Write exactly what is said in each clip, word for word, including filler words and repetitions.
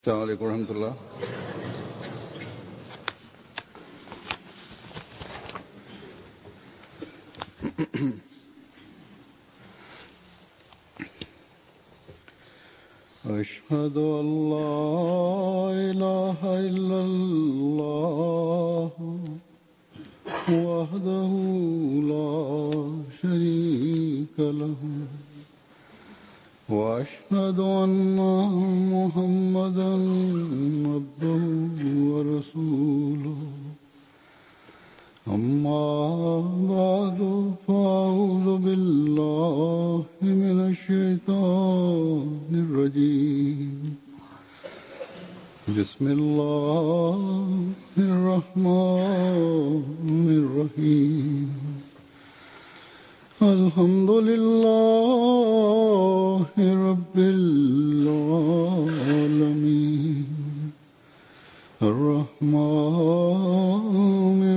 السلام عليكم ورحمة الله. أشهد أن لا إله إلا الله وحده لا شريك له وأشهد أن محمدا عبده ورسوله. أما بعد فأعوذ بالله من الشيطان الرجيم. بسم الله الرحمن الرحيم. الحمد لله رب العالمين الرحمن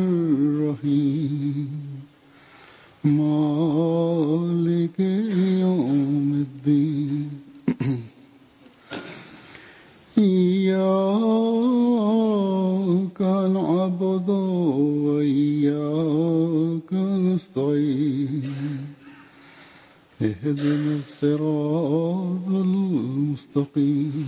الرحيم مالك يوم الدين. إياك نعبد وإياك نستعين. اهدنا الصراط المستقيم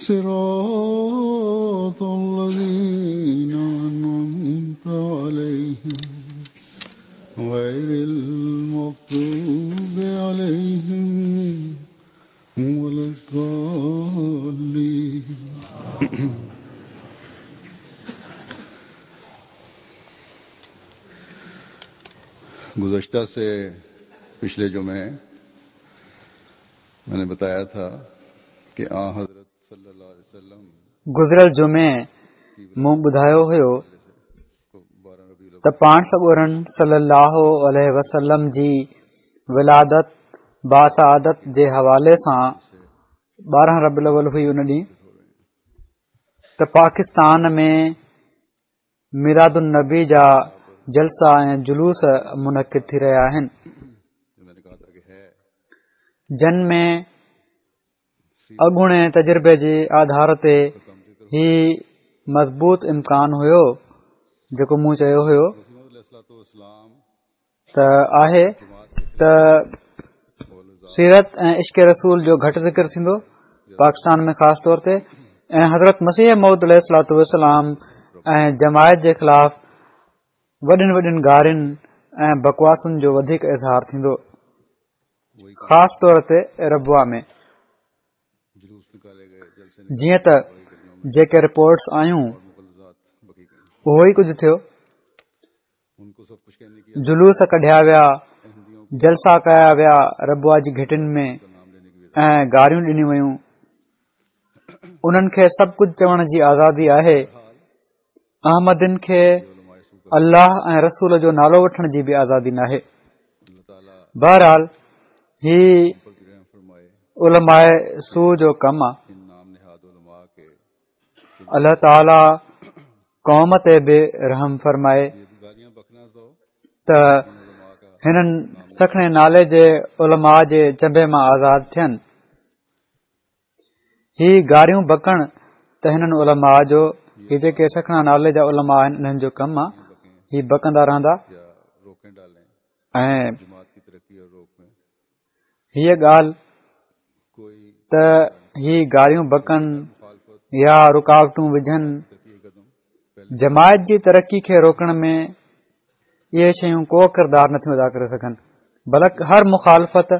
صراط الذين أنعمت عليهم غير المغضوب عليهم ولا الضالين. گزشتہ سے پچھلے جمعے میں نے بتایا تھا کہ آن حضرت صلی اللہ علیہ وسلم گزريل جمعي مون ٻڌايو هيو ته پاڻ سڳورن صلي الله عليه وسلم جي ولادت باسعادت جي حوالي سان ٻارهن ربيع الاول هئي ان ڏينهن ته پاڪستان ۾ ميلاد النبي جا جلسا ۽ جلوس منعقد ٿي رهيا آهن، جن ۾ اڳوڻي تجربي جي آڌار تي هي مضبوط امڪان هيو جيڪو مون چيو هيو ته آهي ته سيرت ۽ عشق رسول جو گهٽ ذڪر ٿيندو پاڪستان ۾ خاص طور تي، ۽ حضرت مسيح موعود عليه الصلوة والسلام ۽ جماعت جي خلاف وڏين وڏين گارين ۽ بڪواسن جو وڌيڪ اظهار ٿيندو، خاص طور تي ربوه ۾. جيئن ته جيڪي رپورٽس آيون اهو ئي ڪجهه ٿيو. جلوس ڪڍيا ويا، جلسا ڪيا ويا ربوه جي گهٽين ۾ ۽ گاريون ڏنيون ويون. انهن کي سڀ ڪجهه چوڻ جي آزادي آهي. احمدين کي الله ۽ رسول جو نالو وٺڻ جي به آزادي ناهي. بهرحال هي علماء سوء جو ڪم آهي. الله تعاليٰ قوم تي به رحم فرمائي ته هنن سکڻي نالي جي علماء جي چنبي مان آزاد ٿين. هي گاريون بڪڻ ته هنن علماء جو، هي جيڪي سکڻا نالي جا علماء آهن انهن جو ڪم آهي، هي بڪندا رهندا. ۽ هيءَ ڳالهه ته هي گاريون بڪن يا رڪاوٽون وجهن، جماعت جي ترقي کي روڪڻ ۾ اهي شيون ڪو ڪردار نٿيون ادا ڪري سگهن، بلڪ هر مخالفت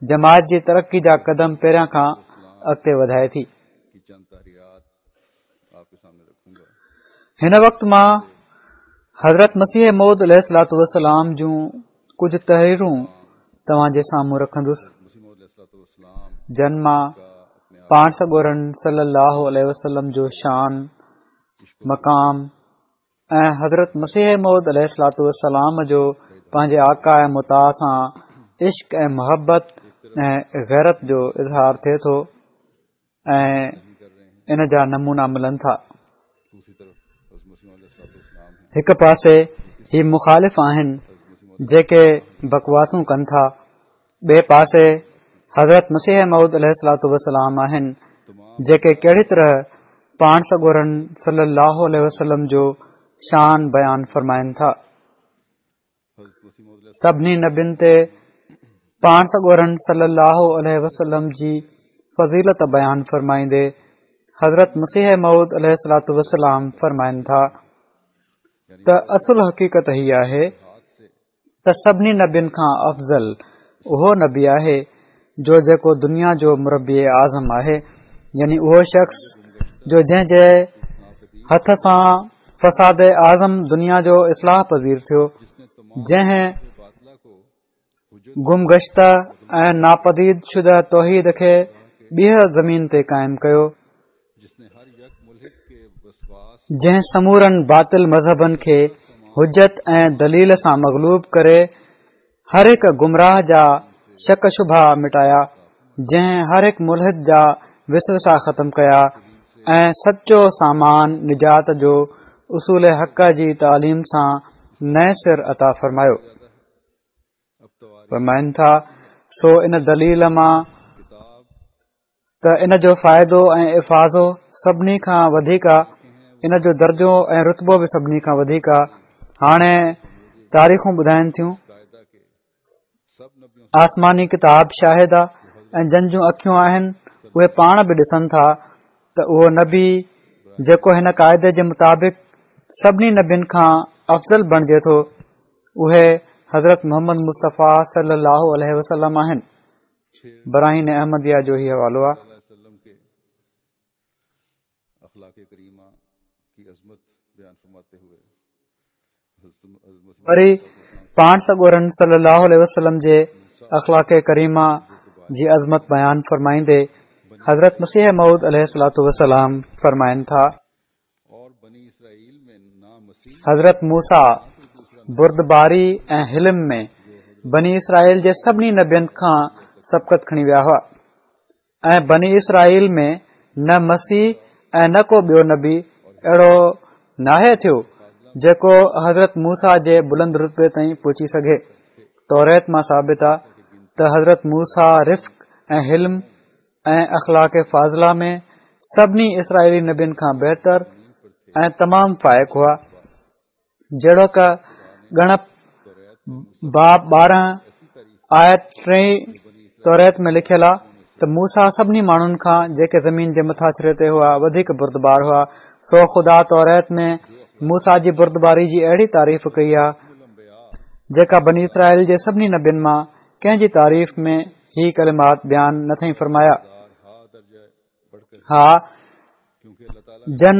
جماعت جي ترقي جا قدم پهريان کان اڳتي وڌائي ٿي. هن وقت مان حضرت مسيح موعود عليه الصلوة والسلام جون ڪجهه تحريرون توهان جي سامهون رکندس، جن مان پاڻ سڳورن صلي الله عليه وسلم جو شان، مقام ۽ حضرت مسيح موعود عليه الصلوة والسلام جو پنهنجي آقا ۽ مطاع سان عشق ۽ محبت ۽ غيرت جو اظهار ٿئي ٿو ۽ ان جا نمونا ملن ٿا. هڪ پاسي هي مخالف آهن جيڪي بڪواسون ڪن ٿا، ٻئي پاسي حضرت مسيح موعود عليه الصلوة والسلام آهن جيڪي ڪهڙي طرح پاڻ سڳورن صلي الله عليه وسلم جو شان بيان فرمائن ٿا. سڀني نبين تي پاڻ سڳورن صلي الله عليه وسلم جي فضيلت بيان فرمائيندي حضرت مسيح موعود عليه الصلوة والسلام فرمائن ٿا ته اصل حقيقت هي آهي ته سڀني نبين کان افضل اهو نبي آهي جو جيڪو دنيا جو مربي اعظم آهي، يعني اهو شخص جو جنهن جي هٿ سان فساد اعظم دنيا جو اصلاح پذير ٿيو، جنهن گمگشته ۽ ناپديد شده توحيد کي ٻيهر زمين تي قائم ڪيو، جنهن سمورن باطل مذهبن کي حجت ۽ دليل سان مغلوب ڪري هر هڪ گمراهه جا شڪ شبها مٽايا، جنهن هر هڪ ملحد جا وسوسا ختم ڪيا ۽ سچو سامان نجات جو اصول حق جي تعليم سان نئين سر عطا فرمايو. فرمائن ٿا، سو ان دليل مان ته ان جو فائدو ۽ افاضو سڀني کان وڌيڪ آ، ان جو درجو ۽ رتبو به سڀني کان وڌيڪ آ. هاڻي تاريخون ٻڌائن ٿيون، آسماني ڪتاب شاهد آ ۽ جن جون اکيون آهن اهي پاڻ به ڏسن ٿا ته اهو نبي جيڪو هن قاعدي جي مطابق سڀني نبين کان افضل بڻجي ٿو، اهي حضرت محمد مصطفيٰ صلي الله عليه وسلم آهن. براهين احمديه جو هي حوالو آهي. وري پاڻ سڳورن صلي الله عليه وسلم جي اخلاق ڪريمه جي عظمت بيان فرمائيندي حضرت مسيح موعود عليه الصلوة والسلام فرمائن ٿا، حضرت موسيٰ بردباري ۽ حلم ۾ بني اسرائيل جي سڀني نبين کان سبقت کڻي ويا هئا ۽ بني اسرائيل ۾ نه مسيح ۽ نه ڪو ٻيو نبي اهڙو ناهي ٿيو جيڪو حضرت موسيٰ جي بلند رتبي تائين پهچي سگهي. توريت مان ثابت آ ته حضرت موسيٰ رفق ۽ حلم ۽ اخلاق فاضله ۾ سڀني اسرائيلي نبين کان بهتر ۽ تمام فائق هئا. جهڙوڪ ڳڻپ باب ٻارهن آيت ٽي توريت ۾ لکيل آ ته موسيٰ سڀني ماڻهن کان جيڪي زمين جي مٿاڇري تي هئا وڌيڪ بردبار هئا. سو خدا توريت ۾ موسيٰ جي بردباري جي اهڙي تعريف ڪئي آ جيڪا بني اسرائيل جي سڀني نبين مان ڪنهن جي تعريف ۾ هي ڪلمات بيان نه ٿئي فرمايا. ها، جن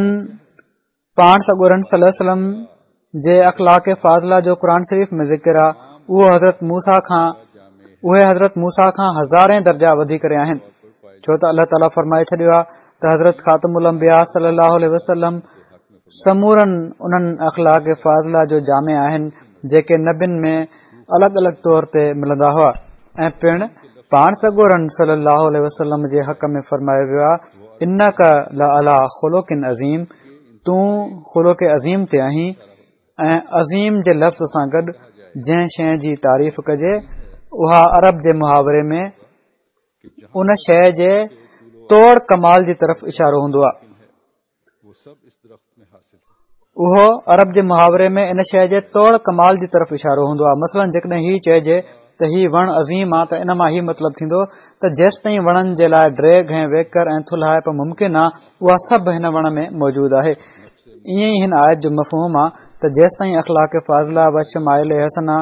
پاڻ سڳورن صلي الله عليه وسلم جي اخلاق فاضله جو قرآن شريف ۾ ذڪر آ، اهو حضرت موسيٰ کان اهي حضرت موسيٰ کان هزارين درجا وڌي ڪري آهن، ڇو ته الله تعاليٰ فرمائي ڇڏيو آ ته حضرت خاتم الانبياء صلي الله عليه وسلم سمورن انهن اخلاق فاضله جو جامع آهن جيڪي نبين ۾ الڳ الڳ طور تي ملندا هئا ۽ پڻ پاڻ سڳورن صلي الله عليه وسلم جي حق ۾ فرمايو ويو آ انڪ لعليٰ خلق عظيم، تون خلق عظيم تي آهين ۽ عظيم جي لفظ سان گڏ جنهن شيء جي تعريف ڪجي اها عرب جي محاوري ۾ ان شيء جي توڙ ڪمال جي طرف اشارو هوندو آهي. اهو عرب جي محاوري ۾ ان شيء جي توڙ ڪمال جي طرف اشارو هوندو آهي. مثلاً جيڪڏهن هي چئجي ته هي وڻ عظيم آ ته ان مان هي مطلب ٿيندو ته جيستائين وڻن جي لاء ڊيگهه ۽ ويڪر ۽ ٿلهائپ ممڪن آ اها سڀ هن وڻ ۾ موجود آهي. ائين ئي هن آيت جو مفهوم آ ته جيستائين اخلاق فاضله و شمائل حسنه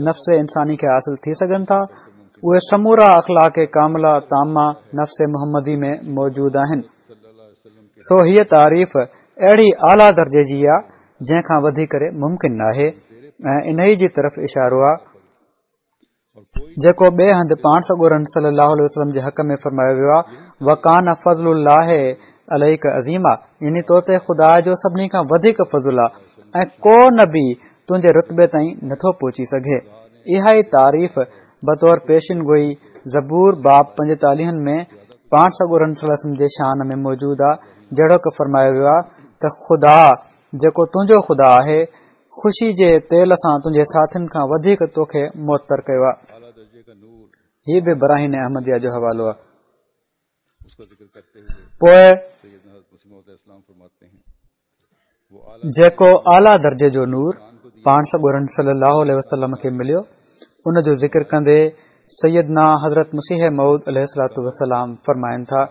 نفس انساني کي حاصل ٿي سگهن ٿا اهي سمورا اخلاق ڪامله تامه نفس محمدي ۾ موجود آهن. سو هيء تعريف اهڙي اعليٰ درجي جي آ جنهن کان وڌي ڪري ممڪن ناهي ۽ انهيء جي طرف اشارو آ جيڪو ٻئي هنڌ پاڻ سڳورن صلي الله عليه وسلم جي حق ۾ فرمايو ويو آ وڪان فضل الله عليڪ عظيما، يعني تو تي خدا جو سڀني کان وڌيڪ فضل آ ۽ ڪو نبي تنهنجي رتبي تائين نٿو پهچي سگهي. اها ئي تعريف بطور پيشن گوئي زبور باب پنجيتاليهن ۾ پاڻ سڳورن صلي الله عليه وسلم جي شان ۾ موجود آ، جهڙوڪ فرمايو ويو آ ته خدا جيڪو تنهنجو خدا آهي، خوشي جي تيل سان تنهنجي ساٿين کان وڌيڪ توکي معطر ڪيو آ. هي به براهين احمديه جو حوالو آ. پوء جيڪو اعليٰ درجي جو نور پاڻ سڳورن صلي الله عليه وسلم کي مليو ان جو ذڪر ڪندي سيدنا حضرت مسيح موعود عليه الصلوة والسلام فرمائن ٿا،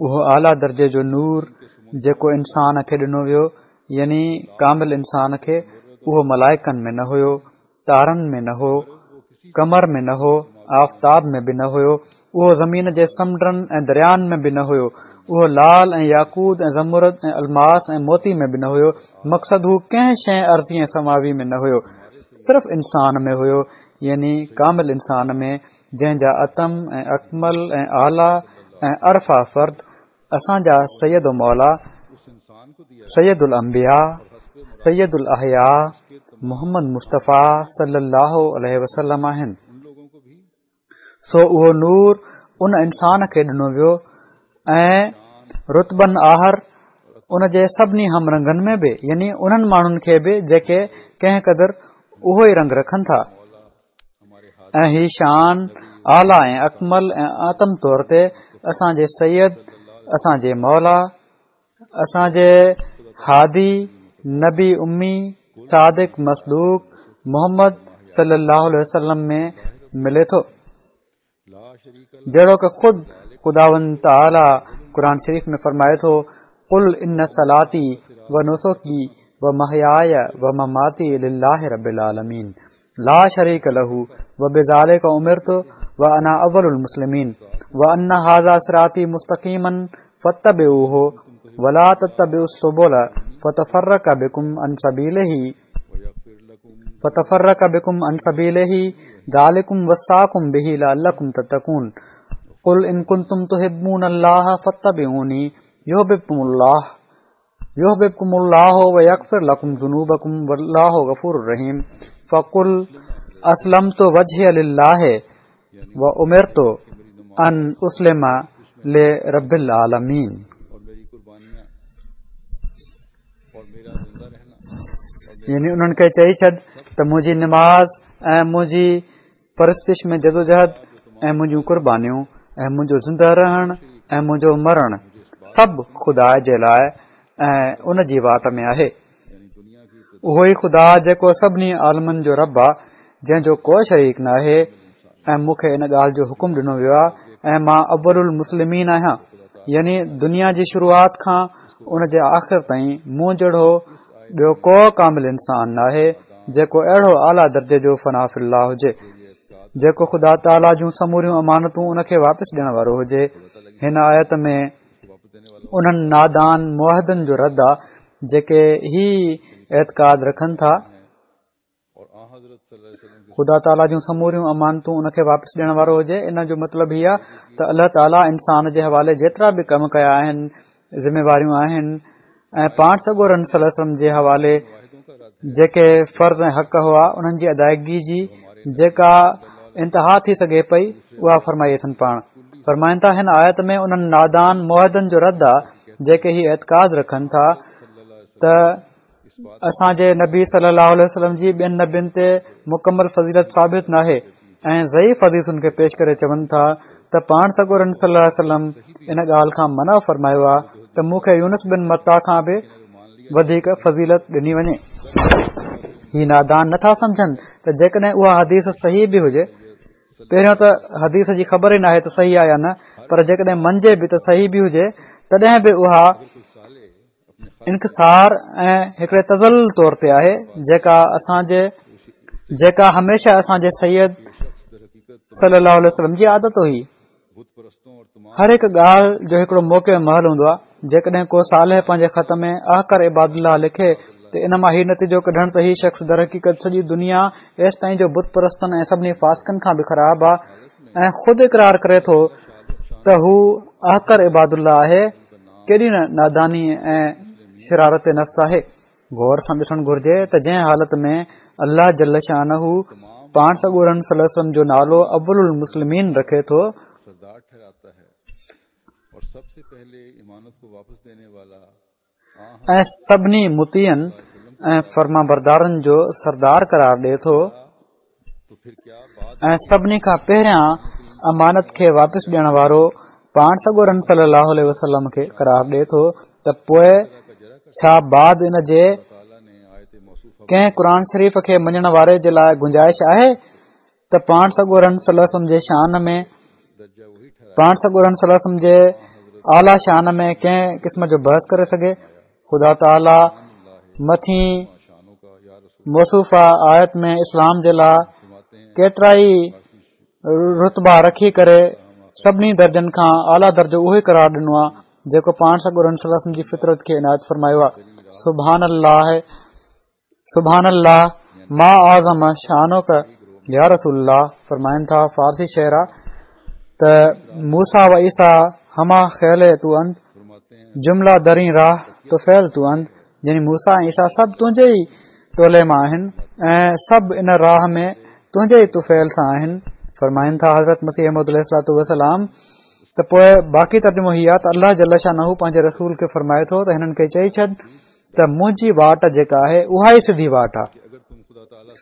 اهو اعليٰ درجي جو نور جيڪو انسان کي ڏنو ويو، يعني ڪامل انسان کي، اهو ملائڪن ۾ نه هيو، تارن ۾ نه هو، قمر ۾ نه هو، آفتاب ۾ به نه هيو، اهو زمين جي سمنڊن ۽ دريائن ۾ به نه هيو، اهو لعل ۽ ياقوت ۽ زمرد ۽ الماس ۽ موتي ۾ به نه هيو. مقصد هو ڪنهن شيء ارضي ۽ سماوي ۾ نه هيو، صرف انسان ۾ هيو، يعني ڪامل انسان ۾، جنهن جا اتم ۽ اڪمل ۽ اعليٰ ۽ ارفع فرد اسان جا سيد و مولا، سيد الانبياء، سيد الاحياء محمد مصطفيٰ صلي الله عليه وسلم آهن. سو اهو نور ان انسان کي ڏنو ويو ۽ رتبن آهر ان جي سڀني هم رنگن ۾ به، يعني انهن ماڻهن کي به جيڪي ڪنهن قدر اهو ئي رنگ رکن ٿا. ۽ هي شان اعليٰ ۽ اڪمل ۽ اتم طور تي اسان جي سيد، اسان جي مولا، اسان جي هادي، نبي امي، صادق مصدوق محمد صلي الله عليه وسلم ۾ ملي ٿو، جهڙوڪ خود خداوند تعاليٰ قرآن شريف ۾ فرمائي ٿو، قل ان صلاتي و نسڪي و محياي و مماتي لله رب العالمين لا شريڪ له و بذلڪ امرت و انا اول المسلمين و ان هذا صراطي مستقيما فاتبعوه ولا تتبعوا السبل فتفرق بكم عن سبيله فتفرق بكم عن سبيله ذلكم وصاكم به لعلكم تتقون قل ان كنتم تحبون الله فاتبعوني يحببكم الله يحببكم الله ويغفر لكم ذنوبكم والله غفور رحيم فقل اسلمت وجهي لله وامرت ان اسلم لرب العالمين. يعني انهن کي چئي ڇڏ ته منهنجي نماز ۽ منهنجي پرستش ۾ جدوجهد ۽ منهنجون قربانيون ۽ منهنجو زنده رهڻ ۽ منهنجو مرڻ سڀ خدا جي لاء ۽ ان جي واٽ ۾ آهي. اهو ئي خدا جيڪو سڀني عالمن جو رب آ، جنهن جو ڪو شريڪ ناهي، ۽ مون کي ان ڳالهه جو حڪم ڏنو ويو آ ۽ مان اول المسلمين آهيان، يعني دنيا جي شروعات کان ان جي آخر تائين مون جهڙو ٻيو ڪو ڪامل انسان ناهي جيڪو اهڙو اعليٰ درجي جو فنا في الله هجي، جيڪو خدا تعاليٰ جون سموريون امانتون ان کي واپس ڏيڻ وارو هجي. هن آيت ۾ انهن نادان موحدن جو رد آ جيڪي هي اعتقاد رکن ٿا خدا تعاليٰ جون سموريون امانتون ان کي واپس ڏيڻ وارو هجي. ان جو مطلب هي آ ته الله تعاليٰ انسان جي حوالي جيترا به ڪم ڪيا آهن، ذميواريون آهن، ۽ پاڻ سڳورن صلي الله عليه وسلم جي حوالي جيڪي فرض ۽ حق هئا انهن جي ادائگي جي جيڪا انتها ٿي سگهي پئي اها فرمائي اٿن. پاڻ فرمائن ٿا هن آيت ۾ انهن نادان موحدن جو رد آ جيڪي هي اعتقاد رکن ٿا ته اسان جي نبي صلي الله عليه وسلم جي ٻين نبين تي مڪمل فضيلت ثابت ناهي، ۽ ضعيف حديثن کي پيش ڪري چون ٿا ته پاڻ سڳورن صلي الله عليه وسلم ان ڳالهه کان منع فرمايو آ ته مون کي يونس بن متيٰ کان به وڌيڪ فضيلت ڏني وڃي. هي نادان نٿا سمجهن ته جيڪڏهن اها حديث صحيح به هجي، پهريون ته حديث جي خبر ئي ناهي ته صحيح آ يا نه، پر جيڪڏهن مڃجي به ته صحيح به هجي تڏهن به اها انڪسار ۽ هڪڙي تذلل طور تي آهي جيڪا اسان جي جيڪا هميشه اسان جي سيد صلي الله عليه وسلم جي عادت هئي. هر هڪ ڳالهه جو هڪڙو موقع محل هوندو آهي. جيڪڏهن ڪو صالح پنهنجي خط ۾ احقر عباد الله لکي ته ان مان هي نتيجو ڪڍڻ ته هي شخص درحقيقت سڄي دنيا ايستائين جو بت پرستن ۽ سڀني فاسقن کان به خراب آهي ۽ خود اقرار ڪري ٿو ته هو احقر عباد الله آهي، ڪيڏي نه ناداني ۽ شرارت نفس آهي. غور سان ڏسڻ گهرجي ته جنهن حالت ۾ الله جل شانه پاڻ سڳورن صلي الله عليه وسلم جو نالو اول المسلمين رکي ٿو، ۽ سڀني مطيعن ۽ فرمانبردارن جو سردار قرار ڏئي ٿو ۽ سڀني کان پهريان امانت کي واپس ڏيڻ وارو پاڻ سڳورن صلي الله عليه وسلم کي قرار ڏئي ٿو ته پوء ڇا بعد ان جي ڪنهن قرآن شريف کي مڃڻ واري جي لاء گنجائش آهي ته پاڻ سڳورن صلي الله عليه وسلم جي شان ۾ پاڻ سڳورن صلي الله عليه وسلم جي اعليٰ شان ۾ ڪنهن قسم جو بحث ڪري سگهي؟ خدا تعاليٰ مٿين موصوفه آيت ۾ اسلام جي لاء ڪيترائي رتبا رکي ڪري سڀني درجن کان اعليٰ درجو اهو ئي قرار ڏنو آهي جيڪو پاڻ سڳورن صلي الله عليه وسلم جي فطرت کي عنايت فرمايو آهي. سبحان الله سبحان الله ما اعظم شانک يا رسول الله. فرمائن ٿا، فارسي شعر آ ته موسيٰ و عيسيٰ همه خیل تو اند، جمله در این راه طفیل تو اند. يعني موسيٰ ۽ عيسيٰ سڀ تنهنجي ئي ٽولي مان آهن ۽ سڀ ان راهه ۾ تنهنجي ئي طفيل سان آهن. فرمائن ٿا حضرت مسيح موعود عليه الصلوة والسلام ته پوء باقي ترجمو هي آ ته الله جل شانه پنهنجي رسول کي فرمائي ٿو ته هنن کي چئي ڇڏ ته منهنجي واٽ جيڪا آهي اها ئي سڌي واٽ آ،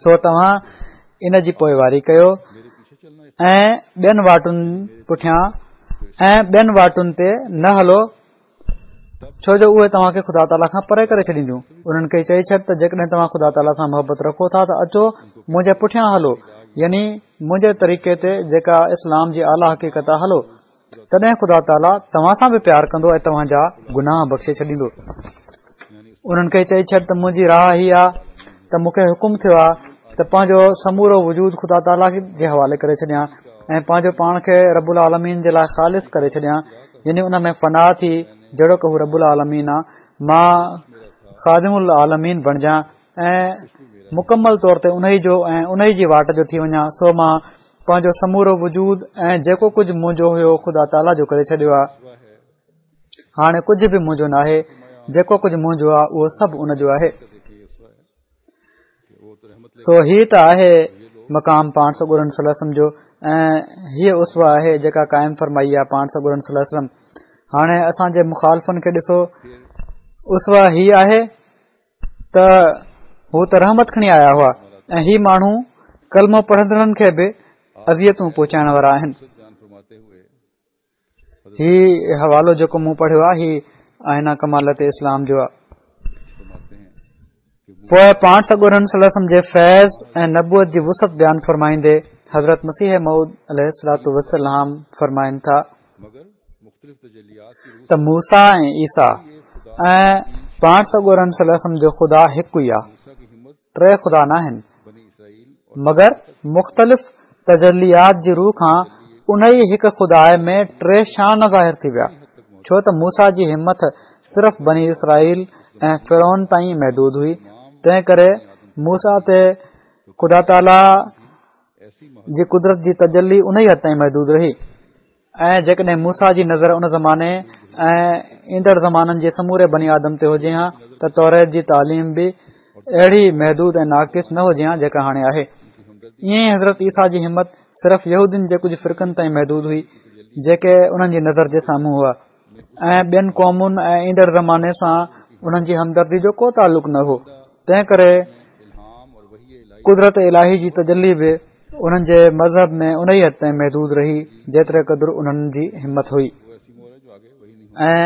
سو توهان ان جي پوئواري ڪيو ۽ ٻين واٽن پٺيان ۽ ٻين واٽن تي نه هلو، ڇو جو اهي توهان کي خدا تعاليٰ کان پري ڪري ڇڏينديون. انهن کي چئي ڇڏ ته جيڪڏهن توهان خدا تعاليٰ سان محبت رکو ٿا ته اچو منهنجي پٺيان هلو، يعني منهنجي طريقي تي جيڪا اسلام جي اعليٰ حقيقت آ هلو، تڏهن خدا تعاليٰ توهان سان به پيار ڪندو ۽ توهان جا گناهه بخشي ڇڏيندو. انهن کي چئي ڇڏ ته منهنجي راهه هي آ ته مون کي حڪم ٿيو آ ته پنهنجو سمورو وجود خدا تعاليٰ جي حوالي ڪري ڇڏيان ۽ پنهنجو پاڻ کي رب العالمين جي لاء خالص ڪري ڇڏيان، يعني ان ۾ فنا ٿي جهڙوڪ هو رب العالمين آ، مان خادم العالمين بڻجان ۽ مڪمل طور تي انهي جو ۽ انهي جي واٽ جو ٿي وڃان. سو مان پنهنجو سمورو وجود ۽ جيڪو ڪجهه منهنجو هيو خدا تعاليٰ جو ڪري ڇڏيو آ. هاڻي ڪجهه به منهنجو ناهي، جيڪو ڪجهه منهنجو آ اهو سڀ ان جو آهي. سو هي ته آهي مقام پاڻ سڳورن صلي الله عليه وسلم جو ۽ هيء اسوه آهي جيڪا قائم فرمائي آ پاڻ سڳورن صلي الله عليه وسلم. هاڻي اسان جي مخالفن کي ڏسو، اسوه هي آهي ته هو ته رحمت کڻي آيا هئا ۽ هي ماڻهو ڪلمو پڙهندڙن کي به اذيتون پهچائڻ وارا آهن. هي حوالو جيڪو مون پڙهيو آهي هي آئينه ڪمالت اسلام جو آهي. پوء پاڻ سڳورن صلي الله عليه وسلم جي فيض ۽ نبوت جي وسعت بيان فرمائيندي حضرت مسيح موعود عليه الصلوة والسلام فرمائن ٿا ته موسيٰ ۽ عيسيٰ ۽ پاڻ سڳورن صلي الله عليه وسلم جو خدا هڪ ئي آهي، ٽي خدا ناهن، مگر مختلف تجليات جي رو کان انهي هڪ خدا ۾ ٽي شان ظاهر ٿي ويا، ڇو ته موسيٰ جي همٿ صرف بني اسرائيل ۽ فرعون تائين محدود هئي، تنهن ڪري موسيٰ تي خدا تعاليٰ جي قدرت جي تجلي انهي حد تائين محدود رهي. ۽ جيڪڏهن موسيٰ جي نظر ان زماني ۽ ايندڙ زمانن جي سموري بني آدم تي هجي ها ته توريت جي تعليم به اهڙي محدود ۽ ناقص نه هجي ها جيڪا هاڻي آهي. ائين ئي حضرت عيسيٰ جي همت صرف يهودين جي ڪجهه فرقن تائين محدود هئي جيڪي انهن جي نظر جي سامهون هئا ۽ ٻين قومن ۽ ايندڙ زماني سان انهن جي همدردي جو ڪو تعلق نه هو، تنهن ڪري قدرت الاهي جي تجلي به انهن جي مذهب ۾ انهي حد تائين محدود رهي جيتري قدر انهن جي همت هئي ۽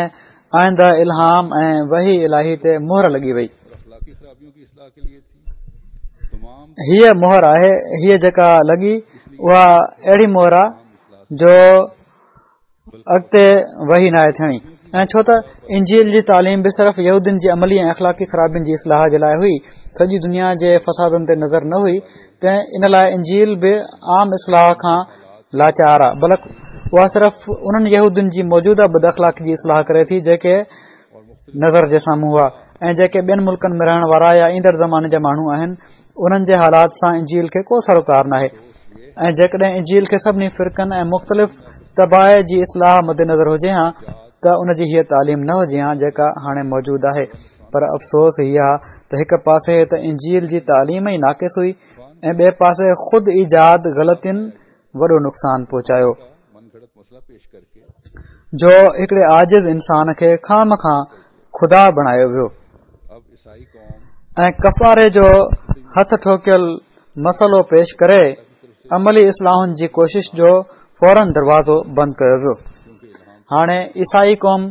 آئنده الهام ۽ وحي الاهي تي مهر لڳي وئي. هيء مهر آهي، هيء جيڪا لڳي اها اهڙي مهر آهي جو اڳتي وحي ناهي ٿيڻي ۽ ڇو ته انجيل جي تعليم به صرف يهودين جي عملي ۽ اخلاقي خرابين جي اصلاح جي لاء هئي، سڄي دنيا جي فسادن تي نظر نه هئي، تنهن ان لاء انجيل به عام اصلاح کان لاچار آ، بلڪ اها صرف انهن يهودين جي موجوده بد اخلاقي جي اصلاح ڪري ٿي جيڪي نظر جي سامهون هئا ۽ جيڪي ٻين ملڪن ۾ رهڻ وارا يا ايندڙ زماني جا ماڻهو آهن انهن جي حالات سان انجيل کي ڪو سروڪار ناهي ۽ جيڪڏهن انجيل کي سڀني فرقن ۽ مختلف طباع جي اصلاح مد نظر هجي ها ته ان جي هيء تعليم نه هجي ها جيڪا هاڻي موجود آهي. پر افسوس هي آ ته هڪ پاسي ته انجيل جي تعليم ئي ناقص هئي ۽ ٻئي پاسي خود ايجاد غلطين وڏو نقصان پهچايو جو هڪڙي عاجز انسان کي خوامخواه خدا بڻايو ويو ۽ ڪفاري جو هٿ ٺوڪيل مسئلو پيش ڪري عملي اصلاحن جي ڪوشش جو فورن دروازو بند ڪيو ويو. هاڻي عيسائي قوم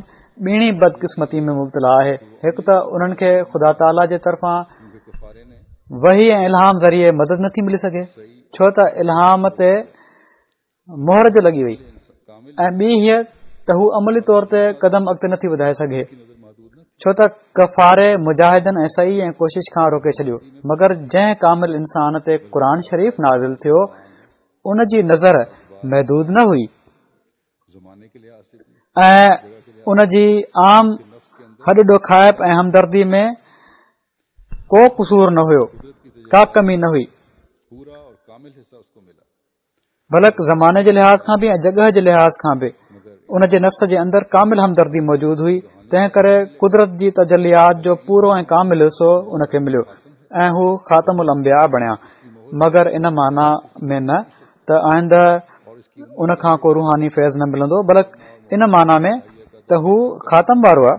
ٻيڻي بدقسمتي ۾ مبتلا آهي. هڪ ته انهن کي خدا تعاليٰ جي طرفان وحي ۽ الهام ذريعي مدد نٿي ملي سگهي، ڇو ته الهام تي مهر جو لڳي وئي، ۽ ٻي هيء ته هو عملي طور تي قدم اڳتي نٿي وڌائي سگهي، ڇو ته ڪفاري مجاهدن ۽ سعي ۽ ڪوشش کان روڪي ڇڏيو. مگر جنهن ڪامل انسان تي قرآن شريف نازل ٿيو ان جي نظر محدود نه هئي ۽ ان جي عام هڏ ڏوکائپ ۽ همدردي ۾ ڪو قصور نه هيو، ڪا ڪمي نه هئي، بلڪ زماني جي لحاظ کان به ۽ جڳهه جي لحاظ کان به ان جي نفس جي اندر ڪامل همدردي موجود هئي. تنهن ڪري قدرت جي تجليات جو پورو ۽ ڪامل حصو ان کي مليو ۽ هو خاتم الانبياء بڻيا. مگر ان معنيٰ ۾ نه ته آئنده ان کان ڪو روحاني فيض نه ملندو، بلڪ ان معنيٰ ۾ ته هو خاتم وارو آهي،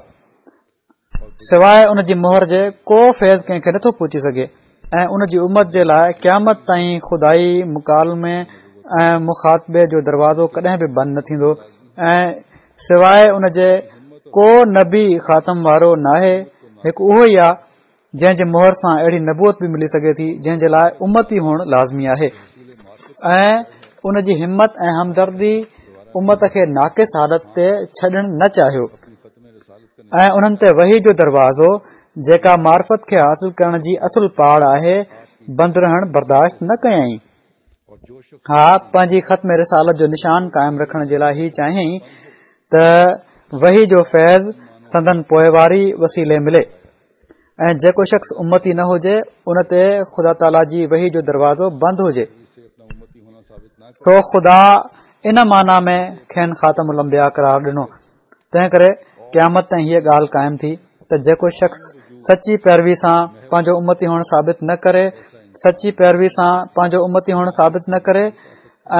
سواء ان جي مهر جي ڪو فيض ڪنهن کي نٿو پهچي سگهي ۽ ان جي امت جي لاء قيامت تائين خدائي مڪالمي ۽ مخاطبي جو دروازو ڪڏهن به بند نه ٿيندو ۽ سواء ان جي ڪو نبي خاتم وارو ناهي. هڪ اهو ئي آهي جنهن جي مهر سان اهڙي نبوت به ملي سگهي ٿي جنهن جي لاء امتي هئڻ لازمي آهي، ۽ ان جي همت ۽ همدردي امت کي ناقص حالت تي ڇڏڻ نه چاهيو ۽ انهن تي وحي جو دروازو، جيڪا معرفت کي حاصل ڪرڻ جي اصل پاڙ آهي، بند رهڻ برداشت نه ڪيائين. ها، پنهنجي ختم رسالت جو نشان قائم رکڻ جي لاء هي چاهيائين ته وحي جو فيض سندن پوئواري وسيلي ملي ۽ جيڪو شخص امتي نه هجي ان تي خدا تعاليٰ جي وحي جو دروازو بند هجي، سو خدا ان معنيٰ ۾ کين خاتم الانبياء قرار ڏنو. تنهن ڪري قيامت تائين هيء ڳالهه قائم ٿي ته جيڪو شخص سچي پيروي سان پنهنجو امتي هئڻ ثابت نه ڪري سچي پيروي سان پنهنجو امتي هئڻ ثابت نه ڪري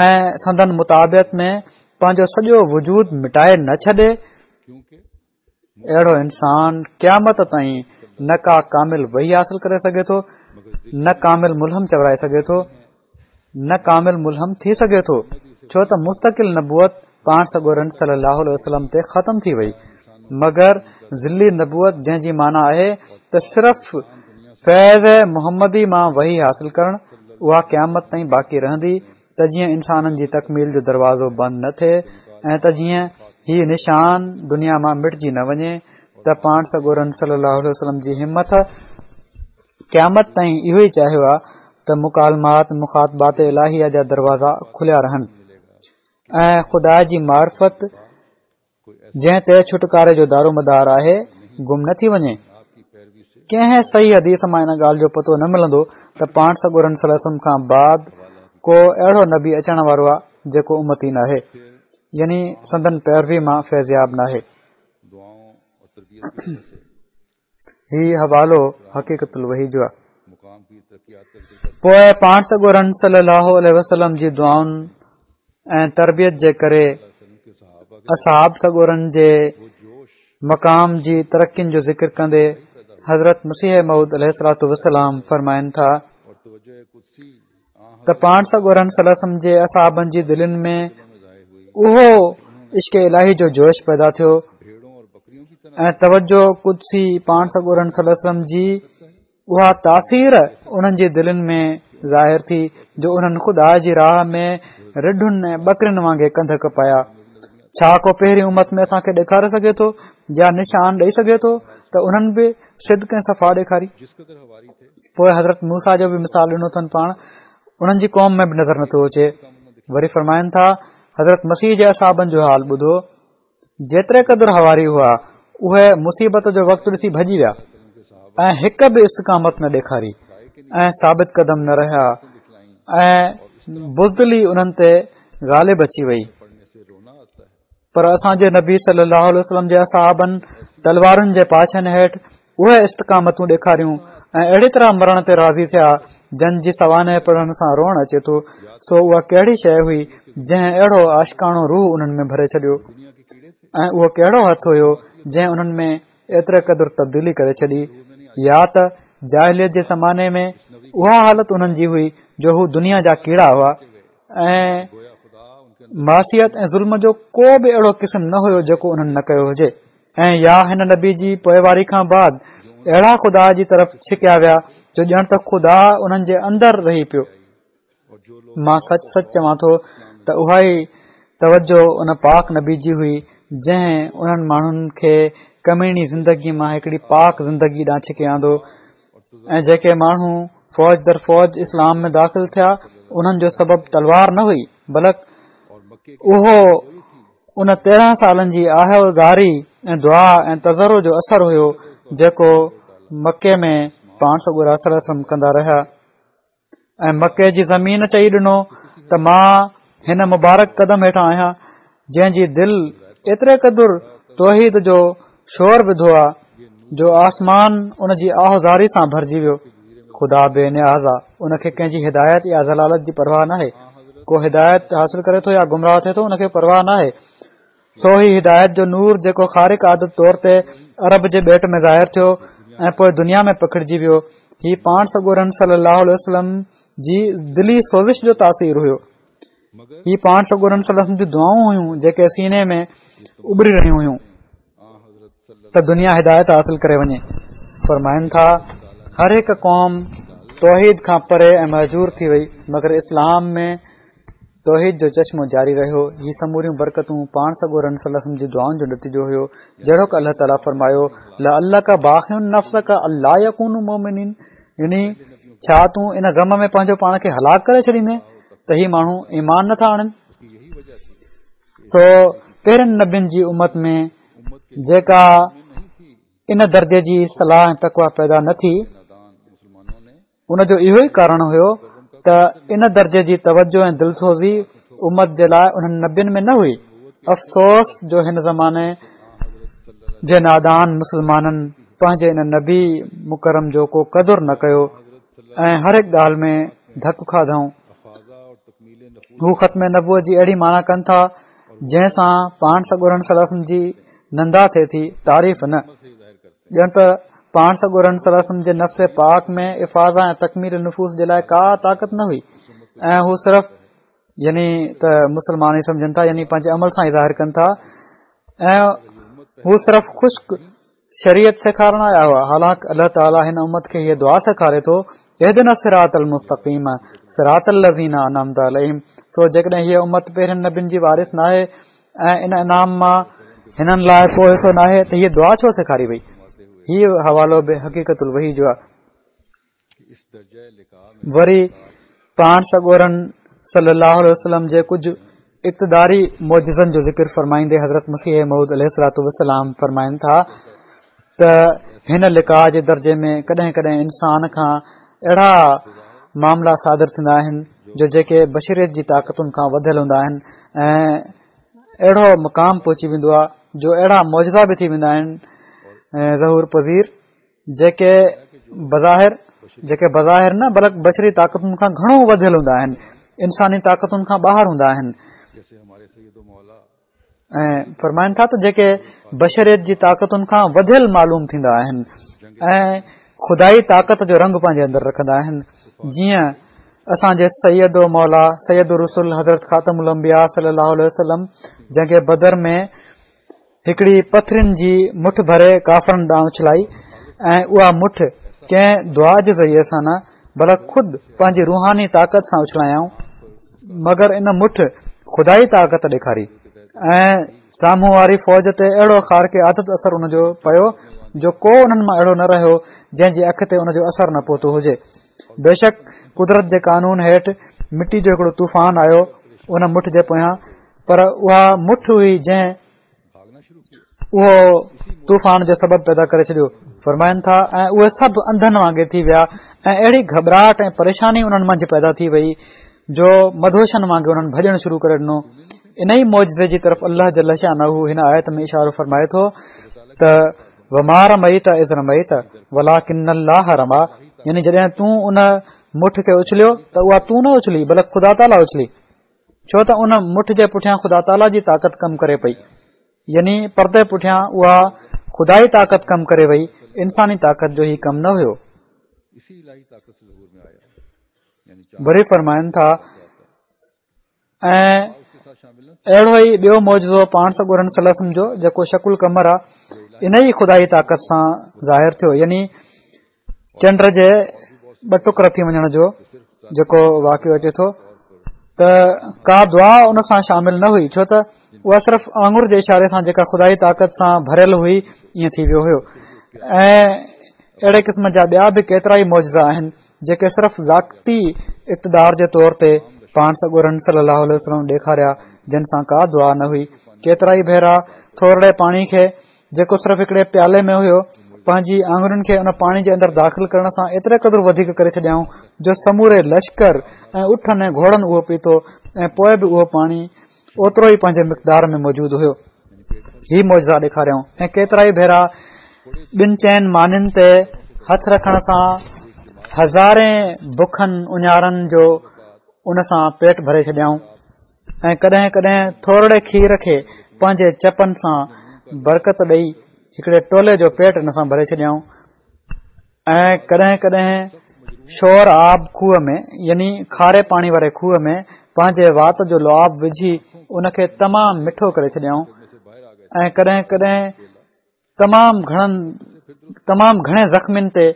۽ سندن متابعت ۾ پنهنجو سڄو وجود مٽائي نه ڇڏي، اهڙو انسان قيامت تائين نه ڪا ڪامل وحي حاصل ڪري سگهي ٿو، نه ڪامل ملهم چورائي سگهي ٿو، نه ڪامل ملهم ٿي سگهي ٿو، ڇو ته مستقل نبوت پاڻ سڳورن صلي الله عليه وسلم تي ختم ٿي وئي، مگر ظلي نبوت جنهن جي معنيٰ آهي ته صرف فيض محمدي مان وحي حاصل ڪرڻ، اها قيامت تائين باقي رهندي ته جيئن انسانن جي تڪميل جو دروازو بند نه ٿئي ۽ ته جيئن هي نشان دنيا مان مٽجي نه وڃي ته پاڻ سڳورن صلي الله عليه وسلم جي همت قيامت تائين اهو ئي چاهيو آهي ته مڪالمات مخاطبات الاهيه جا دروازا کليا رهن ۽ خدا جي معرفت جنهن تي ڇوٽڪاري جو دارومدار آهي گم نه ٿي وڃي. ڪنهن صحيح حديث مان ان ڳالهه جو پتو نه ملندو ته پاڻ سڳورن صلي الله عليه وسلم کان بعد ڪو اهڙو نبي اچڻ وارو آهي جيڪو امتي ناهي، يعني سندن پيروي مان فيضياب ناهي. هي حوالو حقيقت الوحي جو آهي. پوء پاڻ سڳورن صلي الله عليه وسلم جي دعائن ۽ تربيت جي ڪري اصحاب سڳورن جي مقام جي ترقين جو ذڪر ڪندي حضرت مسيح موعود عليه الصلوة والسلام فرمائن ٿا ته پاڻ سڳورن صلي الله عليه وسلم جي اصحابن جي دلين ۾ اهو عشق الاهي جو جوش پيدا ٿيو ۽ توجه قدسي پاڻ سڳورن صلي الله عليه وسلم جي اها تاثير انهن جي دلين ۾ ظاهر ٿي جو انهن خدا جي راهه ۾ رڍن ۽ ٻڪرين وانگي ڪنڌ ڪپايا. ڇا ڪو پهرين امت ۾ اسان کي ڏيکاري سگهي ٿو يا نشان ڏئي سگهي ٿو ته انهن به صدق ۽ صفا ڏيکاري؟ پوء حضرت موسيٰ جو به مثال ڏنو اٿن پاڻ انهن جي قوم ۾ به نظر نٿو اچي. وري فرمائن ٿا حضرت مسيح جي اصحابن جو حال ٻڌو جيتري قدر حواري هئا اهي مصيبت جو وقت ڏسي ڀڄي ويا ۽ هڪ به استقامت نه ڏيکاري ۽ ثابت قدم نه رهيا ۽ بزدلي انهن تي غالب اچي وئي پر اسان جي نبي صلي الله عليه وسلم جي اصحابن تلوارن جي پاڇن هيٺ اهي استقامتون ڏيکاريون ۽ اهڙي طرح مرڻ تي راضي ٿيا جن جي سوانح پڙهڻ سان روئڻ اچي ٿو. سو اها ڪهڙي شيء هئي جنهن اهڙو عاشقاڻو روح انهن ۾ ڀري ڇڏيو ۽ اهو ڪهڙو هٿ هيو جنهن انهن ۾ ايتري قدر تبديلي ڪري ڇڏي؟ يا ته جاهليت جي زماني ۾ اها حالت انهن جي هئي جو هو دنيا جا ڪيڙا هئا ۽ معصيت ۽ ظلم جو ڪو به اهڙو قسم نه هيو جيڪو انهن نه ڪيو هجي. ۽ يا هن نبي جي پوئواري کان بعد اهڙا خدا جي طرف ڇڪيا ويا جو ڄڻ ته خدا انهن جي اندر رهي پيو. مان سچ سچ چوان ٿو ته اها ئي توجه ان پاڪ نبي جي هئي جنهن انهن ماڻهن کي ڪميڻي زندگي مان هڪڙي پاڪ زندگي ڏانهن ڇڪي آندو. ۽ جيڪي ماڻهو فوج در فوج اسلام ۾ داخل ٿيا انهن جو سبب تلوار نه هئي، بلڪ اهو ان تيرهن سالن جي آه و زاري ۽ دعا ۽ تضرع جو اثر هيو جيڪو مڪي ۾ پاڻ سڳورا صلي الله عليه وسلم ڪندا رهيا. ۽ مڪي جي زمين چئي ڏنو ته مان هن مبارڪ قدم هيٺان آهيان جنهن جي دل ايتري قدر توحيد جو شور وڌو آ جو آسمان ان جي آه زاري سان ڀرجي ويو. خدا بي نياز آ، ان کي ڪنهن جي هدايت يا ضلالت جي پرواهه ناهي. ڪو هدايت حاصل ڪري ٿو يا گمراهه ٿئي ٿو ان کي پرواهه ناهي. سو هي هدايت جو نور جيڪو خارق عادت طور تي عرب جي ٻيٽ ۾ ظاهر ٿيو ۽ پوء دنيا ۾ پکڙجي ويو، هي پاڻ سڳورن صلي الله عليه وسلم جي دلي سوزش جو تاثير هيو. هي پاڻ سڳورن صلي الله عليه وسلم جون دعائون هيون جيڪي سيني ۾ اٻري رهيون هيون ته دنيا هدايت حاصل ڪري وڃي. فرمائن ٿا، هر هڪ قوم توحيد کان پري ۽ مهجور ٿي وئي، مگر اسلام ۾ توحيد جو چشمو جاري رهيو. هي سموريون برڪتون پاڻ سڳورن صلي الله عليه وسلم جي دعائن جو نتيجو هيو. جهڙوڪ الله تعاليٰ فرمايو، لعلک باخع نفسک الا يڪونوا مؤمنين، يعني ڇا تون ان غم ۾ پنهنجو پاڻ کي هلاڪ ڪري ڇڏيندين ته هي ماڻهو ايمان نٿا آڻن؟ سو پهرين نبين جي امت ۾ جيڪا ان درجي جي صلاح ۽ تقويٰ پيدا نه ٿي، ان جو اهو ئي ڪارڻ هيو ته ان درجي جي توجه ۽ دلسوزي امت جي لاء انهن نبين ۾ نه هئي. افسوس جو هن زماني جي نادان مسلمانن پنهنجي ان نبي مڪرم جو ڪو قدر نه ڪيو ۽ هر هڪ ڳالهه ۾ ڌڪ کاڌائون. هو ختم نبوت جي اهڙي معنيٰ ڪن ٿا جنهن سان پاڻ سڳورن صلي الله عليه وسلم جي نندا ٿئي ٿي، تعريف نه. ڄڻ ته پاڻ سڳورن صلي الله عليه وسلم جي نفس پاڪ ۾ افاضه ۽ تڪميل نفوس جي لاء ڪا طاقت نه هئي ۽ هو صرف يعني ته مسلمان ئي سمجهن ٿا، يعني پنهنجي عمل سان ئي ظاهر ڪن ٿا، ۽ هو صرف خشڪ شريعت سيکارڻ آيا هئا. حالانڪ الله تعاليٰ هن امت کي هيء دعا سيکاري ٿو، اهدنا الصراط المستقيم صراط الذين انعمت عليهم. سو جيڪڏهن هيء امت پهرين نبين جي وارث ناهي ۽ ان انعام مان هنن لاء ڪو حصو ناهي ته هيء دعا ڇو سيکاري وئي؟ هيء حوالو به حقيقت الوحي جو آهي. وري پاڻ سڳورن صلي الله عليه وسلم جي ڪجهه اقتداري معجزن جو ذڪر فرمائيندي حضرت مسيح موعود عليه الصلوة والسلام فرمائن ٿا ته هن لقاء جي درجي ۾ ڪڏهن ڪڏهن انسان کان اهڙا معاملا صادر ٿيندا آهن جو جيڪي بشريت جي طاقتن کان وڌيل هوندا آهن ۽ اهڙو مقام پهچي ويندو آهي جو اهڙا معجزا به ٿي ويندا آهن ظهور پذير جيڪي بظاهر جيڪي بظاهر نه بلڪ بشري طاقتن کان گهڻو وڌيل هوندا آهن، انساني طاقتن کان ٻاهر هوندا آهن. ۽ فرمائن ٿا ته جيڪي بشريت جي طاقتن کان وڌيل معلوم ٿيندا آهن ۽ خدائي طاقت جو رنگ پنهنجي اندر رکندا آهن، جيئن اسان جي سيد و مولا سيد الرسل حضرت خاتم الانبياء صلي الله عليه وسلم جنگ بدر ۾ هڪڙي پٿرين جي مٺ ڀري ڪافرن ڏانهن اڇلائي ۽ اها مٺ ڪنهن دعا جي ذريعي سان نه بلڪ خود پنهنجي روحاني طاقت سان اڇلايائون، مگر ان مٺ خدائي طاقت ڏيکاري ۽ سامهون واري فوج تي اهڙو خارق عادت اثر ان جو پيو جو ڪو انهن مان اهڙو نه رهيو جنهن جي اک تي ان جو اثر نه پهتو هجي. بيشڪ قدرت جي قانون هيٺ مٽي جو هڪڙو طوفان آيو ان مٺ جي پويان، پر اها مٺ هئي جنهن اهو طوفان جو سبب پيدا ڪري ڇڏيو. فرمائن ٿا ۽ اهي سڀ انڌن وانگي ٿي ويا ۽ اهڙي گهٻراهٽ ۽ پريشاني انهن منجهه پيدا ٿي وئي جو مدهوشن وانگي انهن ڀڄڻ شروع ڪري ڏنو. انهي معجزي جي طرف الله جل شانه هن آيت ۾ اشارو فرمائي ٿو ته وما رميت اذ رميت ولڪن الله رميٰ، يعني جڏهن تون ان مٺ کي اڇليو ته اها تون نه اڇلي بلڪ خدا تعاليٰ اڇلي، ڇو ته ان مٺ جي پٺيان خدا تعاليٰ جي طاقت ڪم ڪري پئي، يعني پردي پٺيان اها خدائي طاقت ڪم ڪري وئي، انساني طاقت جو هي ڪم نه هيو. وري فرمائن ٿا ۽ اهڙو ئي ٻيو معجزو پاڻ سڳورن صلي الله عليه وسلم جو جيڪو شق القمر آهي، ان ئي خدائي طاقت سان ظاهر ٿيو، يعني چنڊ جي ٻه ٽڪر ٿي وڃڻ جو جيڪو واقعو اچي ٿو ته ڪا دعا ان سان شامل نه هئي، ڇو ته اها صرف آڱر جي اشاري سان جيڪا خدائي طاقت سان ڀريل هئي ائين ٿي ويو هيو. ۽ اهڙي قسم جا ٻيا به ڪيترا ئي معجزا آهن جيڪي صرف ذاتي اقتدار جي طور تي پاڻ سڳورن صلي الله عليه وسلم ڏيکاريا، جن سان ڪا دعا نه هئي. ڪيترا ئي ڀيرا ٿورڙي پاڻي کي جيڪو صرف هڪڙي پيالي ۾ هيو پنهنجي آڱرين کي ان پاڻي جي اندر داخل ڪرڻ سان ايتري قدر وڌيڪ ڪري ڇڏيائون جو سموري لشڪر ۽ اٺن ۽ گهوڙن اهو پيتو ۽ پوء به اهو پاڻي اوترو ئي پنهنجي مقدار ۾ موجود هيو. هي معجزا ڏيکاريائون. ۽ ڪيترا ئي ڀيرا ٻن چئن مانين تي هٿ رکڻ سان هزارين بکن اڃارن جو ان سان پيٽ ڀري ڇڏيائون. ۽ ڪڏهن ڪڏهن ٿورڙي کير کي پنهنجي چپن سان برڪت ڏئي هڪڙي ٽولي جو پيٽ ان سان ڀري ڇڏيائون. ۽ ڪڏهن ڪڏهن شور آب کوهه ۾ يعني کاري پاڻي واري کوهه ۾ پنهنجي وات جو لعاب وجهي ان کي تمام مٺو ڪري ڇڏيائون. ۽ ڪڏهن ڪڏهن تمام گهڻن تمام گهڻي زخمين تي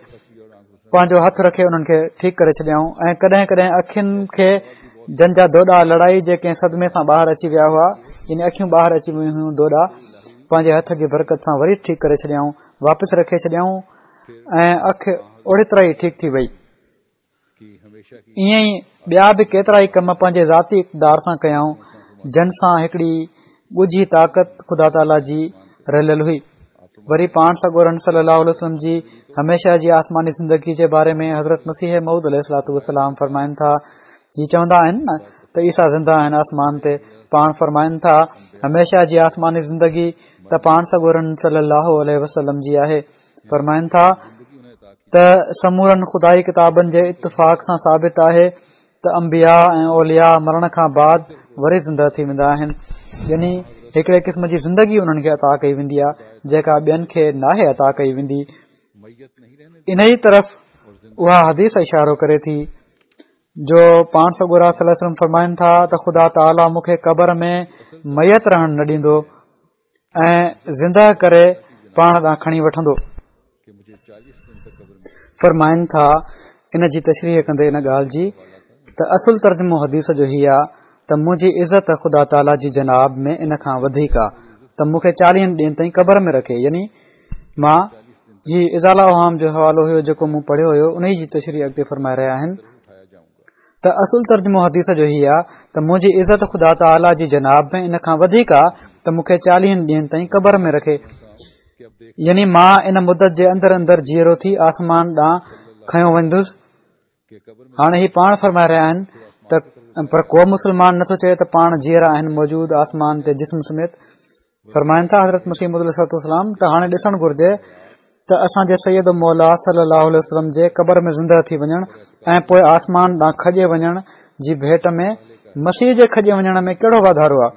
پنهنجو هٿ رکي انهن کي ٺيڪ ڪري ڇڏيائون. ۽ ڪڏهن ڪڏهن اکين کي جن جا دوڏا لڙائي جي ڪنهن صدمي سان ٻاهر اچي ويا هئا، يعني اکيون ٻاهر اچي ويون هيون، دوڏا پنهنجي هٿ جي برڪت سان وري ٺيڪ ڪري ڇڏيائون، واپس رکي ڇڏيائون ۽ اک اوڙي طرح ئي ٺيڪ ٿي وئي. ائين ئي ٻيا به ڪيترا ئي ڪم پنهنجي ذاتي اقتدار سان ڪيائون، جن سان هڪڙي ڳجهي طاقت خدا تعاليٰ جي رليل هئي. وري پاڻ سڳورن صلي الله عليه وسلم جي هميشه جي آسماني زندگي جي باري ۾ حضرت مسيح موعود عليه الصلوة والسلام فرمائن ٿا، هي چوندا آهن نه ته عيسيٰ زنده آهن آسمان تي، پاڻ فرمائن ٿا هميشه جي آسماني زندگي ته پاڻ سڳورن صلي الله عليه وسلم جي آهي. فرمائن ٿا ته سمورن خدائي ڪتابن جي اتفاق سان ثابت آهي ته انبياء ۽ اولياء مرڻ کان بعد وري زنده ٿي ويندا آهن، يعني هڪڙي قسم جي زندگي انهن کي عطا ڪئي ويندي آهي جيڪا ٻين کي ناهي عطا ڪئي ويندي. انهي طرف اها حديث اشارو ڪري ٿي جو پاڻ سڳورا صلي الله عليه وسلم فرمائن ٿا ته خدا تعاليٰ مون کي قبر ۾ ميت رهڻ نه ڏيندو ۽ زنده ڪري پاڻ ڏانهن کڻي وٺندو. فرمائن ٿا ان جي تشريح ڪندي ان ڳالهه جي ته اصل ترجمو حديث جو هي آ ته منهنجي عزت خدا تعاليٰ جي جناب ۾ ان کان وڌيڪ آ ته مون کي چاليهن ڏينهن تائين قبر ۾ رکي، يعني مان هي ازاله اوهام جو حوالو هيو جيڪو مون پڙهيو هيو انهي جي تشريح اڳتي فرمائي رهيا آهن ته اصل ترجمو حديث جو هي آ ته منهنجي عزت خدا تعاليٰ جي جناب ۾ ان کان وڌيڪ آ ته مون کي چاليهن ڏينهن تائين قبر ۾ رکي، يعني مان ان مدت جي اندر اندر جيئرو ٿي آسمان ڏانهن کنيو ويندس. هاڻي هي پاڻ فرمائي رهيا آهن ته پر ڪو مسلمان نٿو چئي ته پاڻ جيئرا آهن موجود آسمان تي جسم سميت. فرمائن ٿا حضرت مسيح موعود عليه الصلوة والسلام ته هاڻي ڏسڻ گهرجي ته اسان جي سيد و مولا صلي الله عليه وسلم جي قبر ۾ زنده ٿي وڃڻ ۽ پوء آسمان ڏانهن کڄي وڃڻ جي ڀيٽ ۾ مسيح جي کڄي وڃڻ ۾ ڪهڙو واڌارو آهي؟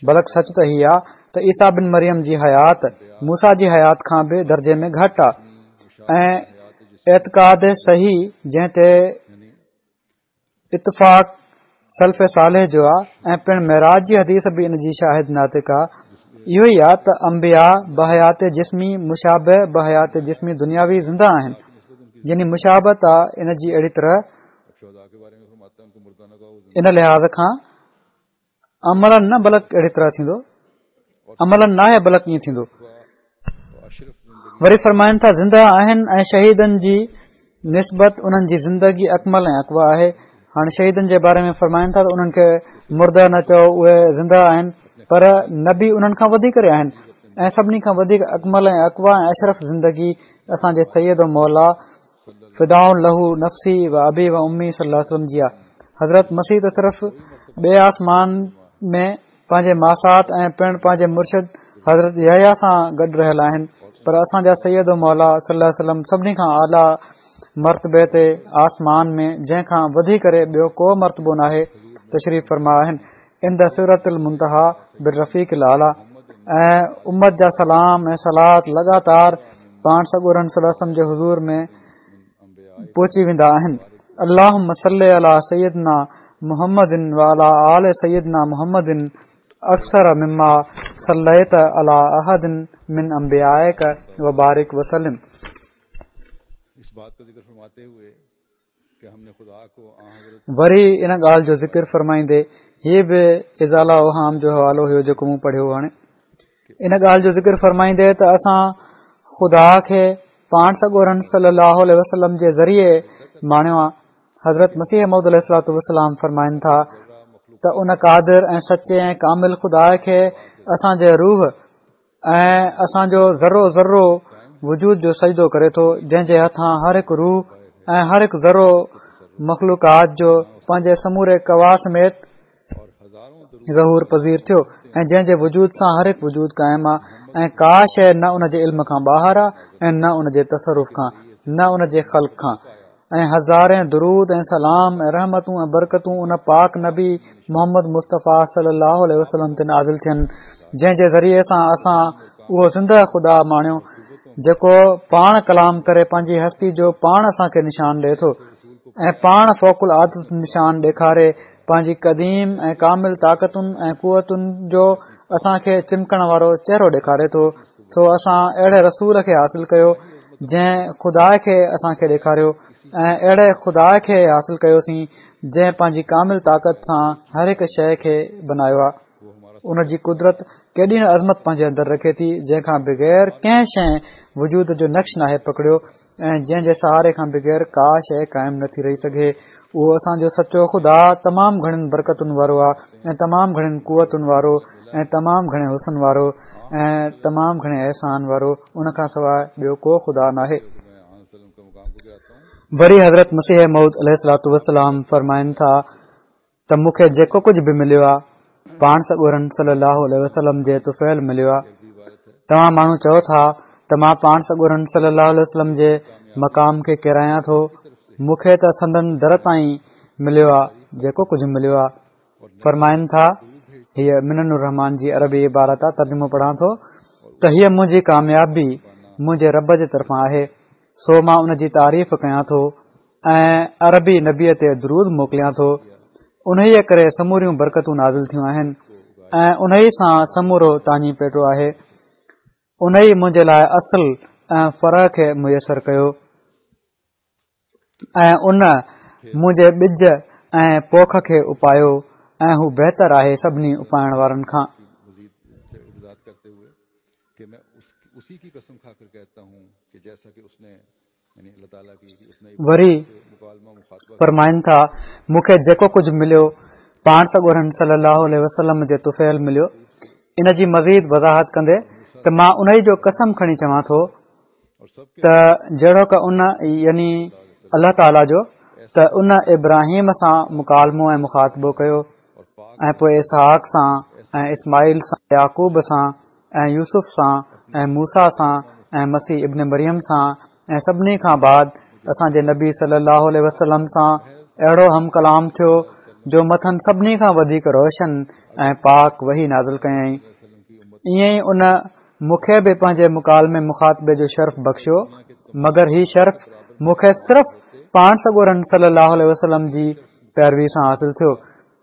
بلڪ سچ ته هي آهي ته عيسيٰ بن مريم جي حيات موسيٰ جي حيات کان به درجي ۾ گهٽ آهي ۽ اعتقاد صحيح جنهن تي اتفاق سلف صالح جو آ ۽ پڻ معراج جي حديث به ان جي شاهد ناطق آ اهو ئي آ ته انبياء بحيات جسمي مشابه بحيات جسمي دنياوي زنده آهن، يعني مشابهت آ ان جي اهڙي طرح ان لحاظ کان عملاً نه بلڪ اهڙي طرح ٿيندو، عملاً ناهي بلڪ ائين ٿيندو. وري فرمائن ٿا زنده آهن ۽ شهيدن جي نسبت انهن جي زندگي اڪمل ۽ اقويٰ آهي. هاڻي شهيدن جي باري ۾ فرمائن ٿا ته انهن کي مرده نه چئو، اهي زنده آهن، پر نبي انهن کان وڌي ڪري آهن ۽ سڀني کان وڌيڪ اڪمل ۽ اقويٰ ۽ اشرف زندگي اسان جي سيد و مولا فداء له نفسي و ابي و امي صلي الله عليه وسلم جي آ. حضرت مسيح ته صرف ٻئي آسمان ۾ پنهنجي ماسات ۽ پڻ پنهنجي مرشد حضرت يحيٰ سان گڏ رهيل آهن، پر اسان جا سيد و مولا صلي الله عليه وسلم سڀني کان اعليٰ مرتبي تي آسمان ۾ جنهن کان وڌي ڪري ٻيو ڪو مرتبو ناهي تشريف فرما آهن. عند سدرة المنتهيٰ بالرفيق الاعليٰ ۽ امت جا سلام ۽ صلات لڳاتار پاڻ سڳورن صلي الله عليه وسلم جي حضور ۾ پهچي ويندا آهن. اللهم صل علي سيدنا محمد وعلى آل سيدنا محمد اڪثر مما صليت على احد من انبيائك وبارڪ وسلم. وري ان ڳالهه جو ذڪر فرمائيندي، هي به ازاله اوهام جو حوالو هيو جيڪو مون پڙهيو هاڻي، ان ڳالهه جو ذڪر فرمائيندي ته اسان خدا کي پاڻ سڳورن صلي الله عليه وسلم جي ذريعي ماڻيو آهي. حضرت مسيح موعود عليه الصلوة والسلام فرمائن ٿا ته ان قادر ۽ سچي ۽ ڪامل خدا کي اسان جي روح ۽ اسان جو ذرو ذرو وجود جو سجدو ڪري ٿو، جنهن جي هٿان هر هڪ روح ۽ هر هڪ ذرو مخلوقات جو پنهنجي سموري قوا سميت ظهور پذير ٿيو ۽ جنهن جي وجود سان هر هڪ وجود قائم آهي ۽ ڪا شيء نه ان جي علم کان ٻاهر آهي ۽ نه ان جي تصرف کان، نه ان جي خلق کان. ۽ هزارين درود ۽ سلام ۽ رحمتون ۽ برڪتون ان پاڪ نبي محمد مصطفيٰ صلي الله عليه وسلم تي نازل ٿين، جنهن جي ذريعي سان اسان اهو زنده خدا ماڻيو، جيڪو پاڻ ڪلام ڪري پنهنجي هستي جو پاڻ اسان کي نشان ڏئي ٿو ۽ پاڻ فوق العادت نشان ڏيکاري پنهنجي قديم ۽ ڪامل طاقتن ۽ قوتن جو اسان کي چمڪڻ وارو چهرو ڏيکاري ٿو. سو اسان اهڙي رسول کي حاصل ڪيو جنهن خدا کي اسان کي ڏيکاريو ۽ اهڙي خدا کي حاصل ڪيوسين جنهن پنهنجي ڪامل طاقت سان هر هڪ شيء کي بنايو آهي. ان جي قدرت ڪيڏي نه عظمت پنهنجي اندر رکي ٿي، جنهن کان بغير ڪنهن شيء وجود جو نقش ناهي پڪڙيو ۽ جنهن جي سهاري کان بغير ڪا شيء قائم نٿي رهي سگهي. اهو اسان جو سچو خدا تمام گهڻين برڪتن وارو آهي ۽ تمام گهڻين قوتن وارو ۽ تمام گهڻي حسن وارو ۽ تمام گهڻي احسان وارو، ان کان سواء ٻيو ڪو خدا ناهي. وري حضرت مسيح موعود عليه الصلوة والسلام فرمائن ٿا ته مون کي جيڪو ڪجهه به مليو آهي پاڻ سڳورن صلي الله عليه وسلم جي طفيل مليو آهي. توهان ماڻهو چئو ٿا ته مان پاڻ سڳورن صلي الله عليه وسلم جي مقام کي ڪيرايان ٿو، مون کي ته سندن در تائين مليو آهي جيڪو ڪجهه مليو آهي. فرمائن ٿا، هيء منن الرحمان جي عربي عبارت آهي، ترجمو پڙهان ٿو ته هيء منهنجي ڪاميابي منهنجي رب جي طرفان آهي، سو مان ان جي تعريف ڪيان ٿو ۽ عربي نبيء تي درود موڪليان ٿو. انهيء ڪري سموريون برڪتون نازل ٿيون آهن ۽ انهيء سان سمورو تاڃي پيٽو آهي. انهيء منهنجي لاء اصل ۽ فرع کي ميسر ڪيو ۽ ان منهنجي ٻج ۽ پوک کي اپايو ۽ هو بهتر آهي سڀني اپائڻ وارن کان. وري فرمائن ٿا، مون کي جيڪو ڪجهه مليو پاڻ سڳورن صلي الله عليه وسلم جي طفيل مليو. ان جي مزيد وضاحت ڪندي ته مان انهي جو قسم کڻي چوان ٿو ته جهڙوڪ ان يعني الله تعاليٰ جو ته ان ابراهيم سان مڪالمو ۽ مخاطبو ڪيو ۽ پوء اسحاق سان ۽ اسماعيل سان يعقوب سان ۽ يوسف سان ۽ موسيٰ سان ۽ مسيح ابن مريم سان ۽ سڀني کان بعد اسان جي نبي صلي الله عليه وسلم سان اهڙو هم ڪلام ٿيو جو مٿن سڀني کان وڌيڪ روشن ۽ پاڪ وحي نازل ڪيائين. ائين ئي ان مون کي به پنهنجي مڪالمي مخاطبي جو شرف بخشيو، مگر هي شرف مون کي صرف پاڻ سڳورن صلي الله عليه وسلم جي پيروي سان حاصل ٿيو.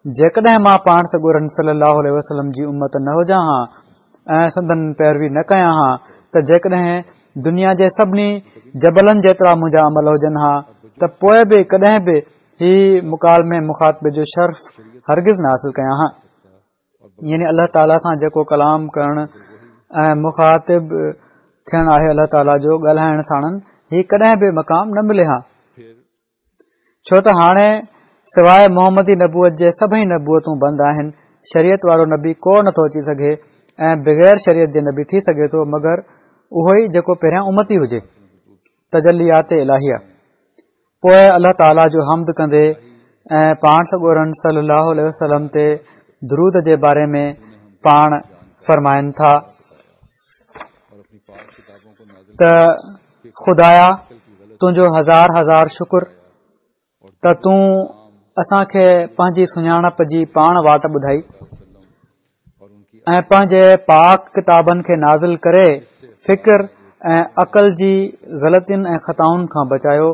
جيڪڏهن مان پاڻ سڳورن صلي الله عليه وسلم جي امت نه هجان ها ۽ سندن پيروي نه ڪيان ها ته جيڪڏهن دنيا جي سڀني جبلن جيترا منهنجا عمل هجن ها ته پوء به ڪڏهن به هي مڪالمي مخاطبي جو شرف هرگز نه حاصل ڪيان ها. يعني الله تعاليٰ سان جيڪو ڪلام ڪرڻ ۽ مخاطب ٿيڻ آهي الله تعاليٰ جو ڳالهائڻ ساڻن هي ڪڏهن به مقام نه ملي ها. ڇو ته هاڻي سواء محمدي نبوت جي سڀئي نبوتون بند آهن، شريعت وارو نبي ڪو نه ٿو اچي سگهي ۽ بغير شريعت جي نبي ٿي سگهي ٿو مگر اهو ئي جيڪو پهريان امتي هجي. تجليات الاهيه. پوء الله تعاليٰ جو حمد ڪندي ۽ پاڻ سڳورن صلي الله عليه وسلم تي درود جي باري ۾ پاڻ فرمائن ٿا ته خدايا تنهنجو هزار هزار شڪر ته تون اسان کي پنهنجي سڃاڻپ جي پاڻ واٽ ٻڌائي ۽ پنهنجي پاڪ ڪتابن کي نازل ڪري فڪر ۽ عقل جي غلطين ۽ خطائن کان بچايو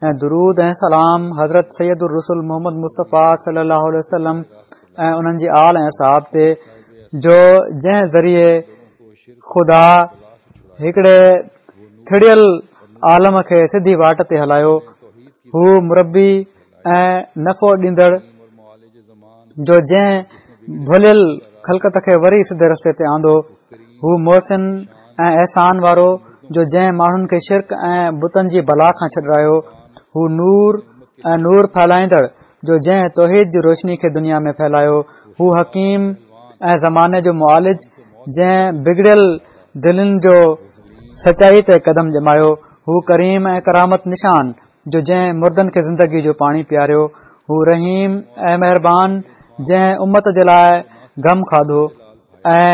۽ درود ۽ سلام حضرت سيد الرسل محمد مصطفيٰ صلي الله عليه وسلم ۽ انهن جي آل ۽ اصحاب تي، جو جنهن ذريعي خدا هڪڙي ٿڙيل عالم کي سڌي واٽ تي هلايو. هو مربي ۽ نفعو ڏيندڙ، جو جنهن ڀليل خلقت کي وري سڌي رستي تي آندو. هو محسن ۽ احسان وارو، جو جنهن ماڻهن کي شرڪ ۽ بتن جي بلا کان ڇڏرايو. هو نور ۽ نور ڦهلائيندڙ، جو جنهن توحيد جي روشني کي دنيا ۾ ڦهلايو. هو حڪيم ۽ زماني جو معالج، جنهن بگڙيل دلين جو سچائي تي قدم ڄمايو. هو ڪريم ۽ ڪرامت نشان، جو جنهن مردن کي زندگي جو پاڻي پياريو. هو رحيم ۽ مهربان، جنهن امت جي لاءِ غم کاڌو ۽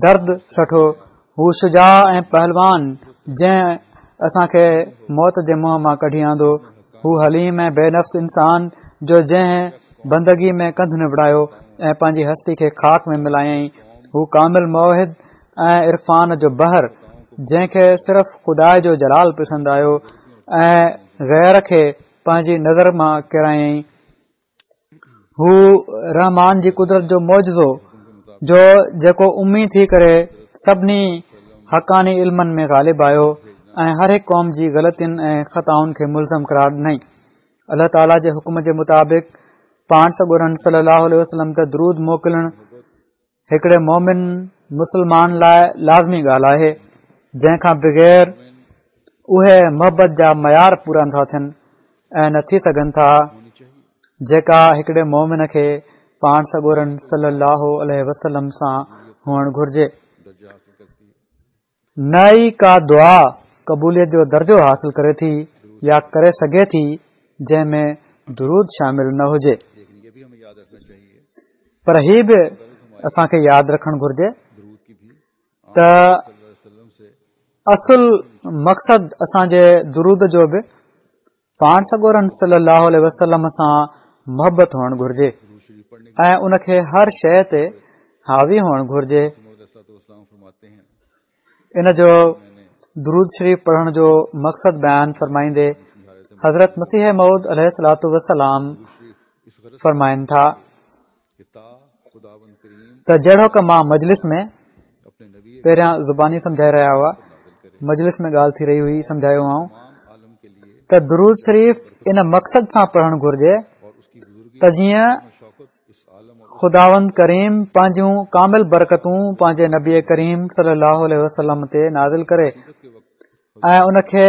درد سٺو. هو شجاع ۽ پهلوان، جنهن اسان کي موت جي منهن مان ڪڍي آندو. هو حليم ۽ بي نفس انسان، جو جنهن بندگي ۾ ڪنڌ نوڙايو ۽ پنهنجي هستي کي خاڪ ۾ ملايائين. هو ڪامل موحد ۽ عرفان جو بحر، جنهن کي صرف خدا جو جلال پسند آيو ۽ غير کي پنهنجي نظر مان ڪيرايائين. هو رحمان جي قدرت جو معجزو، جو جيڪو امي ٿي ڪري سڀني حقاني علمن ۾ غالب آيو ۽ هر هڪ قوم جي غلطين ۽ خطائن کي ملزم قرار ڏنائين. الله تعاليٰ جي حڪم جي مطابق پاڻ سڳورن صلي الله عليه وسلم تي درود موڪلڻ هڪڙي مومن مسلمان لاءِ لازمي ڳالهه آهي، جنهن کان بغير اهي محبت جا معيار پورا نٿا ٿين ۽ نه ٿي سگهن ٿا، جيڪا هڪڙي مومن کي پاڻ سڳورن صلي الله عليه وسلم سان هئڻ گهرجي. نه ئي ڪا دعا قبوليت جو درجو حاصل ڪري ٿي يا ڪري سگهي ٿي جنهن ۾ درود شامل نه هجي. پر هي به اسان کي ياد رکڻ گهرجي ته اصل مقصد اسان جي درود جو به پاڻ سڳورن صلي الله عليه وسلم سان محبت هئڻ گهرجي ۽ ان کي هر شيءِ تي حاوي هئڻ گهرجي. ان جو درود شريف پڙهڻ جو مقصد بيان فرمائيندي حضرت مسيح موعود عليه الصلوة والسلام فرمائن ٿا ته جهڙوڪ مان مجلس ۾ پهريان زباني سمجهائي رهيا هئا، مجلس ۾ ڳالهه ٿي رهي هئي، سمجهايو هئائون ته درود شريف ان مقصد سان پڙهڻ گهرجي ته جيئن خداوند ڪريم پنهنجون ڪامل برڪتون پنهنجي نبي ڪريم صلي الله عليه وسلم تي نازل ڪري ۽ ان کي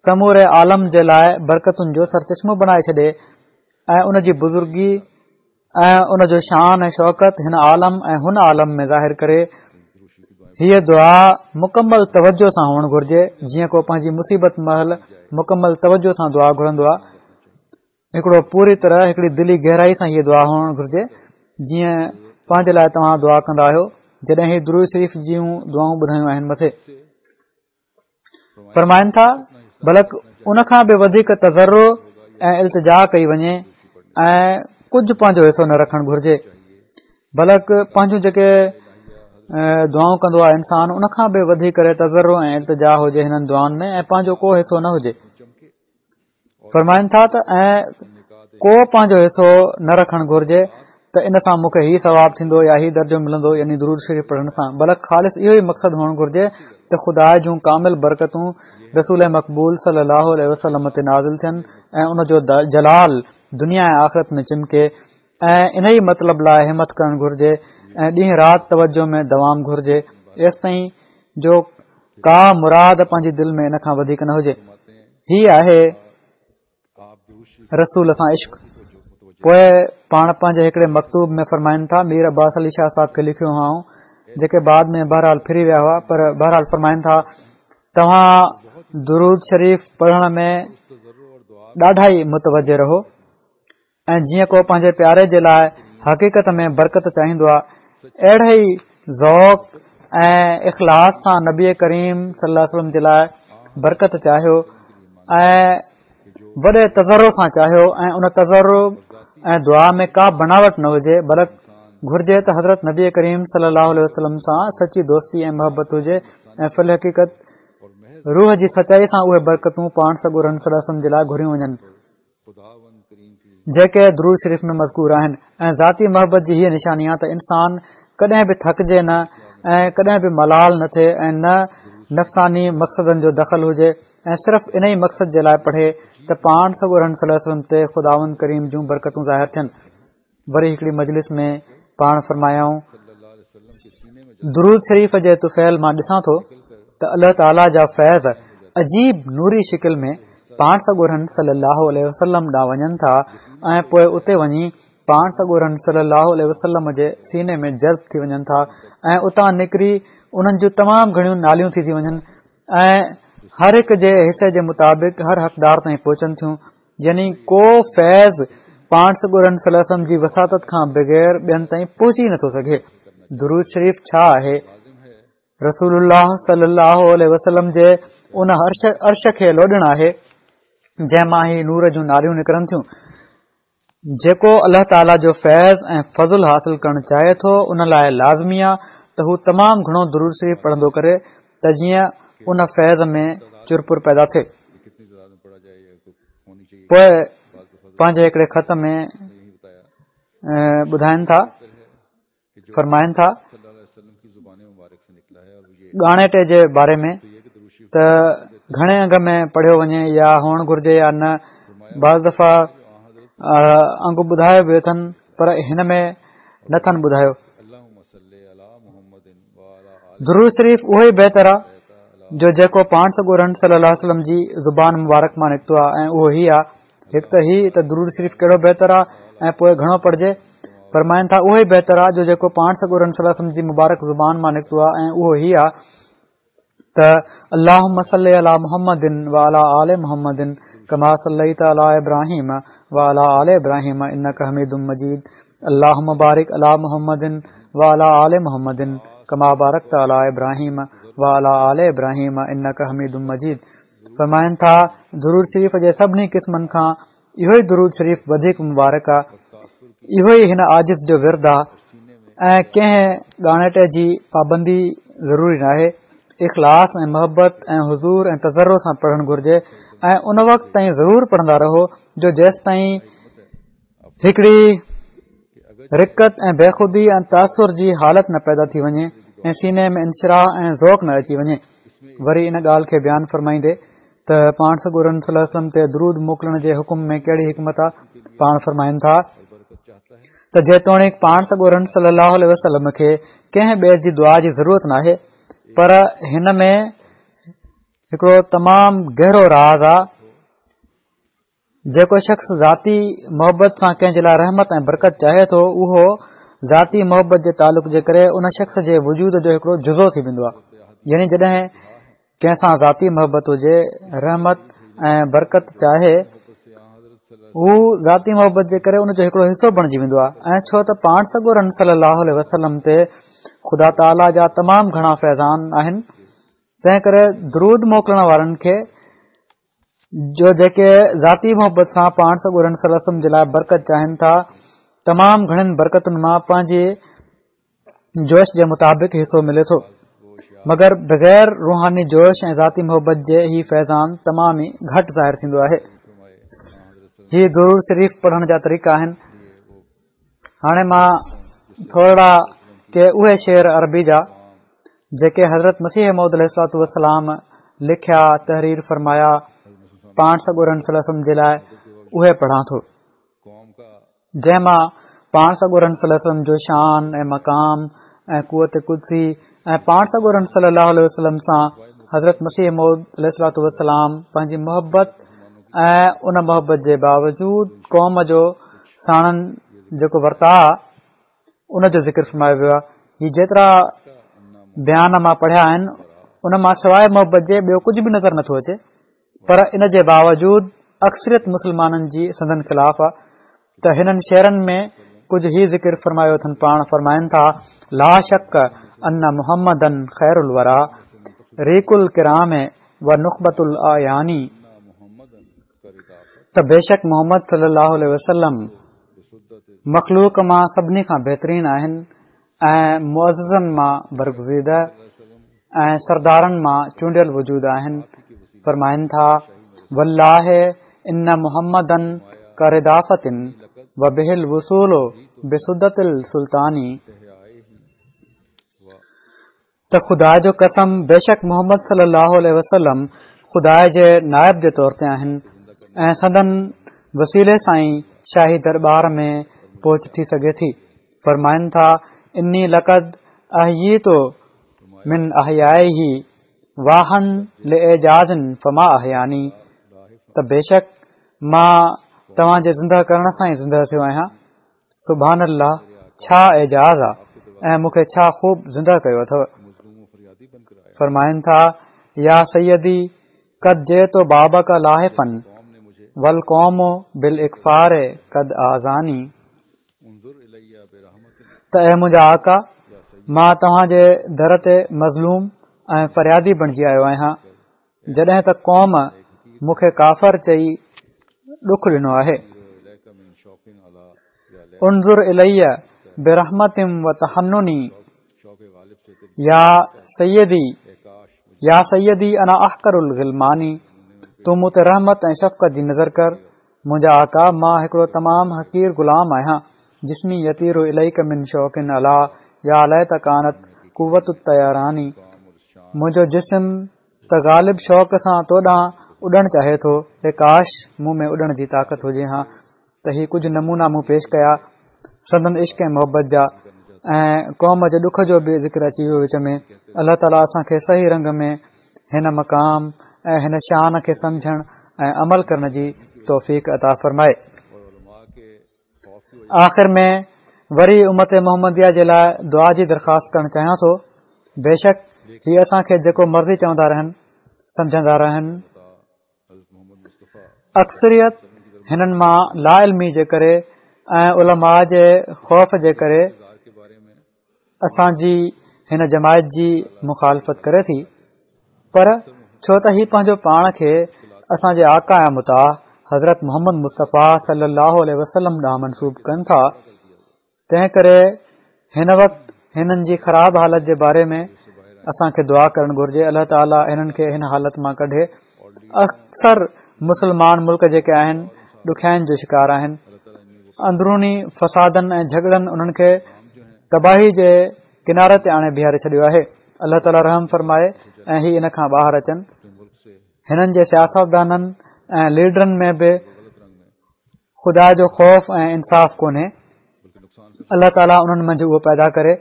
سموري عالم جي لاءِ برڪتن جو سرچشمو بڻائي ڇڏي ۽ ان جي بزرگي ۽ ان جو شان ۽ شوڪت هن عالم ۽ هن عالم ۾ ظاهر ڪري. هيءَ دعا مڪمل توجه سان هئڻ گهرجي، جيئن ڪو پنهنجي مصيبت مهل مڪمل توجه سان دعا گهرندو آهي. هڪڙو پوري طرح هڪڙي دلي گهرائي سان هيءَ دعا هئڻ گهرجي، جيئن پنهنجي لاءِ توهان دعا ڪندا آهيو. جڏهن هي درود شريف جون دعائون ٻڌايون آهن مٿي فرمائن ٿا، بلڪ ان کان به وڌيڪ تضرع ۽ التجا ڪئي وڃي ۽ ڪجهه پنهنجو حصو نه رکڻ گهرجي، بلڪ پنهنجون جيڪي دعائون ڪندو آهي انسان ان کان به وڌي ڪري تضرع ۽ التجا هجي هنن دعائن ۾ ۽ پنهنجو ڪو حصو نه هجي. فرمائن ٿا ته ۽ ڪو پنهنجو حصو نه رکڻ گهرجي ته ان سان مون کي هي ثواب ٿيندو يا هي درجو ملندو، يعني درود شريف پڙهڻ سان، بلڪ خالص اهو ئي مقصد هئڻ گهرجي ته خدا جون ڪامل برڪتون رسول مقبول صلي الله عليه وسلم تي نازل ٿين ۽ ان جو جلال دنيا ۽ آخرت ۾ چمڪي، ۽ ان ئي مطلب لاءِ همت ڪرڻ گهرجي ۽ ڏينهن رات توجه ۾ دوام گهرجي، ايستائين جو ڪا مراد پنهنجي دل ۾ ان کان وڌيڪ نه هجي. هي آهي رسول سان عشق. پوءِ پاڻ پنهنجي هڪڙي مڪتوب ۾ فرمائن ٿا، مير عباس علي شاهه صاحب کي لکيو هئائون، جيڪي بعد ۾ بهرحال ڦري ويا هئا، پر بهرحال فرمائن ٿا توهان درود شريف پڙهڻ ۾ ڏاڍا ئي متوجه رهو ۽ جيئن ڪو پنهنجي پياري جي لاءِ حقيقت ۾ برڪت چاهيندو آهي، اهڙي ئي ذوق ۽ اخلاص سان نبي ڪريم صلي الله عليه وسلم جي لاءِ برڪت چاهيو ۽ وڏي تضرع سان چاهيو ۽ ان تضرع ۽ دعا ۾ ڪا بناوٽ نه هجي، بلڪ گهرجي ته حضرت نبي ڪريم صلي الله عليه وسلم سان سچي دوستي ۽ محبت هجي ۽ في الحقيقت روح جي سچائي سان اهي برڪتون پاڻ سڳورن صلي الله عليه وسلم جي لاء گهريون وڃن جيڪي درود شريف ۾ مذڪور آهن. ۽ ذاتي محبت جي هيء نشاني آهي ته انسان ڪڏهن به ٿڪجي نه ۽ ڪڏهن به ملال نه ٿئي ۽ نه نفساني مقصدن جو دخل هجي ۽ صرف ان ئي مقصد جي لاءِ پڙهي ته پاڻ سڳورن صلي الله عليه وسلم تي خداوند ڪريم جون برڪتون ظاهر ٿين. وري هڪڙي مجلس ۾ پاڻ فرمايائون، درود شريف جي طفيل مان ڏسان ٿو ته الله تعاليٰ جا فيض عجيب نوري شڪل ۾ پاڻ سڳورن صلي الله عليه وسلم ڏانهن وڃن ٿا ۽ پوءِ اتي وڃي پاڻ سڳورن صلي الله عليه وسلم جي سيني ۾ جذب ٿي وڃن ٿا ۽ اتان نڪري انهن جون تمام گهڻيون ناليون ٿي ٿي وڃن ۽ هر هڪ جي حصي جي مطابق هر حقدار تائين پهچن ٿيون. يعني ڪو فيض پاڻ سڳورن صلي الله عليه وسلم جي وساطت کان بغير ٻين تائين پهچي نٿو سگهي. درود شريف ڇا آهي؟ رسول الله صلي الله عليه وسلم جي ان عرش عرش کي لوڏڻ آهي جنهن مان هي نور جون ناليون نڪرن ٿيون. جيڪو الله تعاليٰ جو فيض ۽ فضل حاصل ڪرڻ چاهي ٿو ان لاءِ لازمي آهي ته هو تمام گهڻو درود شريف پڙهندو ڪري ته جيئن ان فيض ۾ چرپر پيدا ٿئي. پوءِ پنهنجي هڪڙي خط ۾ ٻڌائين ٿا، فرمائن ٿا ڳاڻيٽي جي باري ۾ ته گهڻي انگ ۾ پڙهيو وڃي يا هئڻ گهرجي يا نه. بعض دفعا انگ ٻڌايو به اٿن پر هن ۾ نٿن ٻڌايو. درود شريف اهو ئي بهتر آهي جو جيڪو پاڻ سڳورن صلي الله عليه وسلم جي زبان مبارڪ مان نڪتو آهي ۽ اهو هي آهي. هڪ ته هي ته درود شريف ڪهڙو بهتر آهي ۽ پوءِ گهڻو پڙهجي. فرمائن ٿا اهو ئي بهتر آهي جو جيڪو پاڻ سڳورن صلي الله عليه وسلم جي مبارڪ زبان مان نڪتو آهي ۽ اهو هي آهي ته اللهم صل علي محمد وعلي آل محمد ڪما صليت علي ابراهيم وعلي آل ابراهيم انڪ حميد مجيد. اللهم بارڪ علي محمد وعلي آل محمد ڪما بارڪت علي ابراهيم وعلي آل ابراهيم انڪ حميد مجيد. فرمائن ٿا درود شريف جي سڀني قسمن کان اهو ئي درود شريف وڌيڪ مبارڪ آهي. اهو ئي هن عاجز جو ورد آهي ۽ ڪنهن ڳاڻيٽي جي پابندي ضروري ناهي. اخلاص ۽ محبت ۽ حضور ۽ تضرع سان پڙهڻ گهرجي ۽ ان وقت تائين ضرور پڙهندا رهو جو جيستائين هڪڙي رقت ۽ بيخودي ۽ تاثر جي حالت نه پيدا ٿي وڃي ۽ سيني ۾ انشراح ۽ ذوق نه اچي وڃي. وري ان ڳالهه کي بيان فرمائيندي ته پاڻ سڳورن صلي الله عليه وسلم تي درود موڪلڻ جي حڪم ۾ ڪهڙي حڪمت آهي. پاڻ فرمائن ٿا ته جيتوڻيڪ پاڻ سڳورن صلي الله عليه وسلم کي ڪنهن ٻئي جي دعا جي ضرورت ناهي پر هن ۾ هڪڙو تمام گهرو راز آهي. جيڪو شخص ذاتي محبت سان ڪنهن جي لاءِ رحمت ۽ برڪت چاهي ٿو اهو ذاتي محبت جي تعلق جي ڪري ان شخص جي وجود جو هڪڙو جزو ٿي ويندو آهي. يعني جڏهن ڪنهن سان ذاتي محبت هجي، رحمت ۽ برڪت چاهي، هو ذاتي محبت جي ڪري ان جو هڪڙو حصو بڻجي ويندو آهي. ۽ ڇو ته پاڻ سڳورن صلي الله عليه وسلم تي خدا تعاليٰ جا تمام گهڻا فيضان آهن، تنهن ڪري درود موڪلڻ وارن کي جو جيڪي ذاتي محبت سان پاڻ سڳورن صلي الله عليه وسلم جي لاءِ برڪت چاهين ٿا تمام گهڻين برڪتن مان پنهنجي جوش جي مطابق حصو ملي ٿو. مگر بغير روحاني جوش ۽ ذاتي محبت جي هي فيضان تمام ئي گهٽ ظاهر ٿيندو آهي. هي درود شريف پڙهڻ جا طريقا آهن. هاڻي مان ٿورڙا ڪي اهي شعر عربي جا جيڪي حضرت مسيح موعود عليه الصلوة والسلام لکيا تحرير فرمايا پاڻ سڳورن صلي الله عليه وسلم جي لاءِ اهي پڙهان ٿو، جنهن مان پاڻ سڳورن صلي الله عليه وسلم جو شان ۽ مقام ۽ قوت قدسي ۽ پاڻ سڳورن صلي الله عليه وسلم سان حضرت مسيح موعود عليه الصلوة والسلام پنهنجي محبت ۽ ان محبت جي باوجود قوم جو ساڻن جيڪو ورتاءُ ان جو ذڪر فرمايو ويو آهي. هي جيترا بيان مان پڙهيا آهن ان مان سواءِ محبت جي ٻيو ڪجهه به نظر نٿو اچي، پر ان جي باوجود اڪثريت مسلمانن جي سندن خلاف آهي. ته هنن شعرن ۾ ڪجهه هي ذڪر فرمايو اٿن. پاڻ فرمائن ٿا لا شڪ ان محمدن خير الورا ريق الڪرام و نخبة الاعيان، ته بيشڪ محمد صلي الله عليه وسلم مخلوق مان سڀني کان بهترين آهن ۽ معززن مان برگزيده ۽ سردارن مان چونڊيل وجود آهن. فرمائن ٿا، والله ان محمدا ڪردافة وبه الوصول بسدة السلطان، ته خدا جو قسم بيشڪ محمد صلي الله عليه وسلم خدا جي نائب جي طور تي آهن ۽ سندن وسيلي سان ئي شاهي درٻار ۾ پهچ ٿي سگهي ٿي. فرمائن ٿا، اني لقد احييت من احيائه واها لاعجاز فما احياني، ته بيشڪ مان توهان جي زنده ڪرڻ سان ئي زنده ٿيو آهيان. سبحان الله، ڇا اعجاز آ ۽ مون کي ڇا خوب زنده ڪيو اٿو. فرمائن ٿا، يا سيدي قد جئت بابک لاحفا والقوم بالاڪفار قد آذاني، ته اي منهنجا آقا، مان توهان جي در تي مظلوم ۽ فريادي بڻجي آيو آهيان، جڏهن ته قوم مون کي ڪافر چئي ڏک ڏنو آهي. انظر الي برحمة وتحنن يا سيدي يا سيدي انا احقر الغلمان، تون مون تي رحمت ۽ شفقت جي نظر ڪر، منهنجا آقا، مان هڪڙو تمام حقير غلام آهيان. جسمي يطير اليڪ من شوق علا يا ليت ڪانت قوة الطيران، منهنجو جسم ته غالب شوق سان تو ڏانهن اڏڻ چاهي ٿو، اي ڪاش مون ۾ اڏڻ جي طاقت هجي ها. ته هي ڪجهه نمونا مون پيش ڪيا سندن عشق ۽ محبت جا، ۽ قوم جي ڏک جو به ذڪر اچي ويو وچ ۾. الله تعاليٰ اسان کي صحيح رنگ ۾ هن مقام ۽ هن شان کي سمجهڻ ۽ عمل ڪرڻ جي توفيق عطا فرمائي. آخر ۾ وري امت محمديه جي لاء دعا جي درخواست ڪرڻ چاهيان ٿو. بيشڪ هي اسان کي جيڪو مرضي چوندا رهن، سمجهندا رهن، اڪثريت هنن مان لا علمي جي ڪري ۽ علماء جي خوف جي ڪري اسان جي هن جماعت جي مخالفت ڪري ٿي، پر ڇو ته هي پنهنجو پاڻ کي اسان جي آقا ۽ مطاع حضرت محمد مصطفيٰ صلي الله عليه وسلم ڏانهن منسوب ڪن ٿا، تنهن ڪري هن وقت هنن جي خراب حالت جي باري ۾ اسان کي دعا ڪرڻ گهرجي. الله تعاليٰ هنن کي هن حالت مان ڪڍي. اڪثر مسلمان ملڪ جيڪي آهن ڏکيائين جو شڪار آهن. اندروني فسادن ۽ جهڳڙن انهن کي تباهي جي ڪناري تي آڻي بيهاري ڇڏيو آهي. الله تعاليٰ رحم فرمائي ۽ هي ان کان ٻاهر اچن. هنن جي سياستدانن ۽ ليڊرن ۾ به خدا جو خوف ۽ انصاف ڪونهي. الله تعاليٰ انهن منجهه اهو پيدا ڪري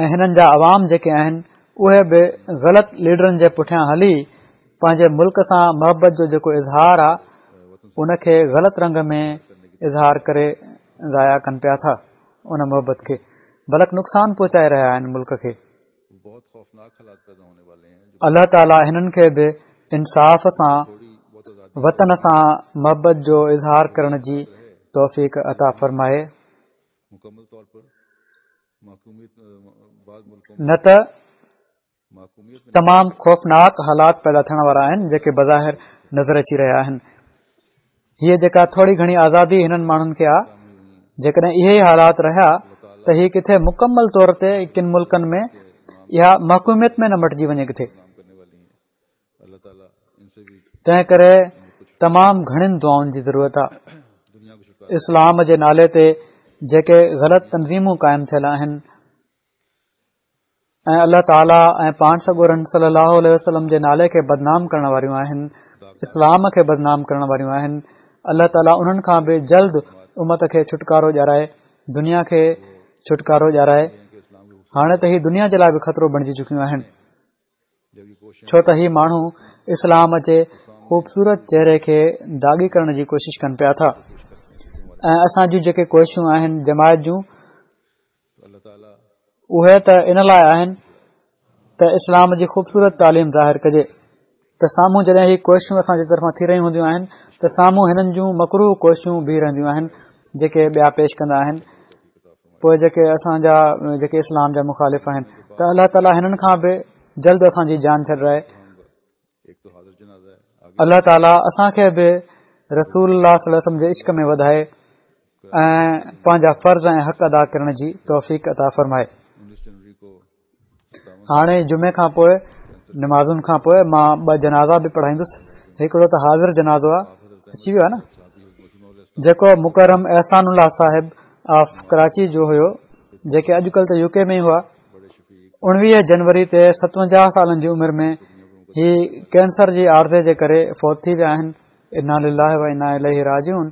۽ هنن جا عوام جيڪي آهن اهي به غلط ليڊرن جي پٺيان هلي پنهنجي ملڪ سان محبت جو جيڪو اظهار آهي ان کي غلط رنگ ۾ اظهار ڪري ضايع ڪن پيا ٿا ان محبت کي، بلڪ نقصان پهچائي رهيا آهن ملڪ کي. الله تعاليٰ هنن کي به انصاف سان وطن سان محبت جو اظهار ڪرڻ جي توفيق عطا فرمائي، نه ته تمام خوفناڪ حالات پيدا ٿيڻ وارا آهن جيڪي بظاهر نظر اچي رهيا آهن. هيء جيڪا ٿوري گهڻي آزادي هنن ماڻهن کي آ، جيڪڏهن اهي ئي حالات رهيا ته هي ڪٿي مڪمل طور تي ڪن ملڪن ۾ اها محڪوميت ۾ نه مٽجي وڃي ڪٿي. تنهن ڪري تمام گهڻين دعائن جي ضرورت آ. اسلام جي نالي تي جيڪي غلط تنظيمون قائم ٿيل آهن ۽ الله تعاليٰ ۽ پاڻ سڳورن صلي الله عليه وسلم جي نالي کي بدنام ڪرڻ واريون آهن، اسلام کي بدنام ڪرڻ واريون آهن، الله تعاليٰ انهن کان به جلد امت کي ڇوٽڪارو ڏيارائي، دنيا کي ڇوٽڪارو ڏيارائي. هاڻي ته هي دنيا جي لاء به خطرو بڻجي چڪيون آهن، ڇو ته هي ماڻهو اسلام جي خوبصورت چهري کي داغي ڪرڻ جي ڪوشش ڪن پيا ٿا ۽ اسان جون جيڪي ڪوششون آهن جماعت جون، اهي ته ان لاء آهن ته اسلام جي خوبصورت تعليم ظاهر ڪجي، ته سامهون جڏهن هي ڪوششون اسان جي طرفان ٿي رهيون هونديون آهن ته سامهون هنن جون مڪروه ڪوششون بيهي رهنديون آهن جيڪي ٻيا پيش ڪندا آهن، پوء جيڪي اسان جا جيڪي اسلام جا مخالف آهن، ته الله تعاليٰ هنن کان به جلد اسان جي جان ڇڏرائي. الله تعاليٰ اسان کي به رسول الله صلي الله عليه وسلم جي عشق ۾ وڌائي ۽ پنهنجا فرض ۽ حق ادا ڪرڻ جي توفيق عطا فرمائي. هاڻي جمعي کان پوء نمازن کان پوءِ مان ٻه جنازا به پڙهائيندس. هڪڙو ته حاضر جنازو آهي، اچي ويو آهي نه، جيڪو مڪرم احسان الله صاحب آف ڪراچي جو هيو، جيڪي اڄڪلهه ته يو ڪي ۾ ئي هئا. اڻويهه جنوري تي ستونجاهه سالن جي عمر ۾ هي ڪينسر جي عارضي جي ڪري فوت ٿي ويا آهن. انا لله و انا اليه راجعون.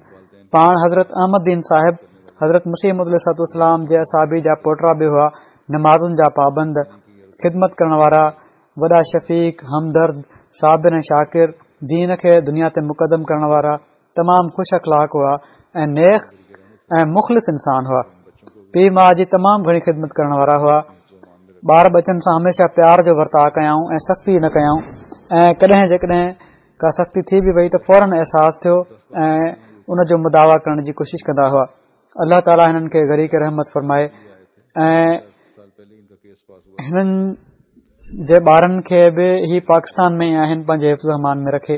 پاڻ حضرت احمد دين صاحب حضرت مسيح موعود عليه الصلوة والسلام جي اصحابي جا پوٽرا به هئا. نمازن جا پابند، خدمت ڪرڻ وارا، وڏا شفيق، همدرد، صابر ۽ شاڪر، دين کي دنيا تي مقدم ڪرڻ وارا، تمام خوش اخلاق هئا ۽ نيڪ ۽ مخلص انسان هئا. پيءُ ماءُ جي تمام گهڻي خدمت ڪرڻ وارا هئا. ٻار ٻچن سان هميشه پيار جو ورتاءُ ڪيائون ۽ سختي نه ڪيائون، ۽ ڪڏهن جيڪڏهن ڪا سختي ٿي به وئي ته فورن احساس ٿيو ۽ ان جو مداوا ڪرڻ جي ڪوشش ڪندا هئا. الله تعاليٰ هنن کي غريق رحمت فرمائي ۽ هنن جي ٻارن کي به هي پاڪستان ۾ ئي آهن، پنهنجي حفظ و امان ۾ رکي،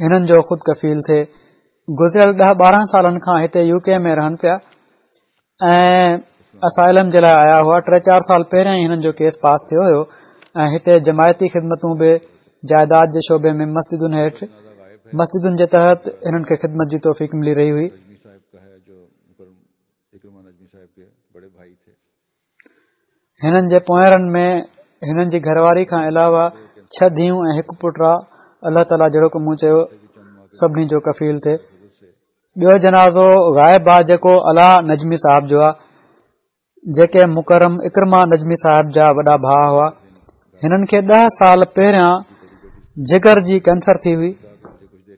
هنن جو خود ڪفيل ٿئي. گذريل ڏهه ٻارهن سالن کان هتي يو ڪي ۾ رهن پيا ۽ اسائلم جي لاءِ آيا هئا. ٽي چار سال پهريان ئي هنن جو ڪيس پاس ٿيو هيو ۽ هتي جماعتي خدمتون به جائيداد جي شعبي ۾ مسجدن هيٺ مسجدن جي تحت هنن کي خدمت جي توفيق ملي رهي هئي. هنن جي پوئرن ۾ هنن جي گهرواري کان علاوه ڇهه ڌيئون ۽ هڪ پٽ آ. الله تعاليٰ جهڙوڪ مون چيو سڀني جو ڪفيل ٿئي. ٻيو جنازو غائب آ، جيڪو علا نجمي صاحب جو آ، جيڪي مڪرم اڪرما نجمي صاحب جا وڏا ڀاءُ هئا. هنن کي ڏهه سال پهريان جگر جي ڪينسر ٿي هئي،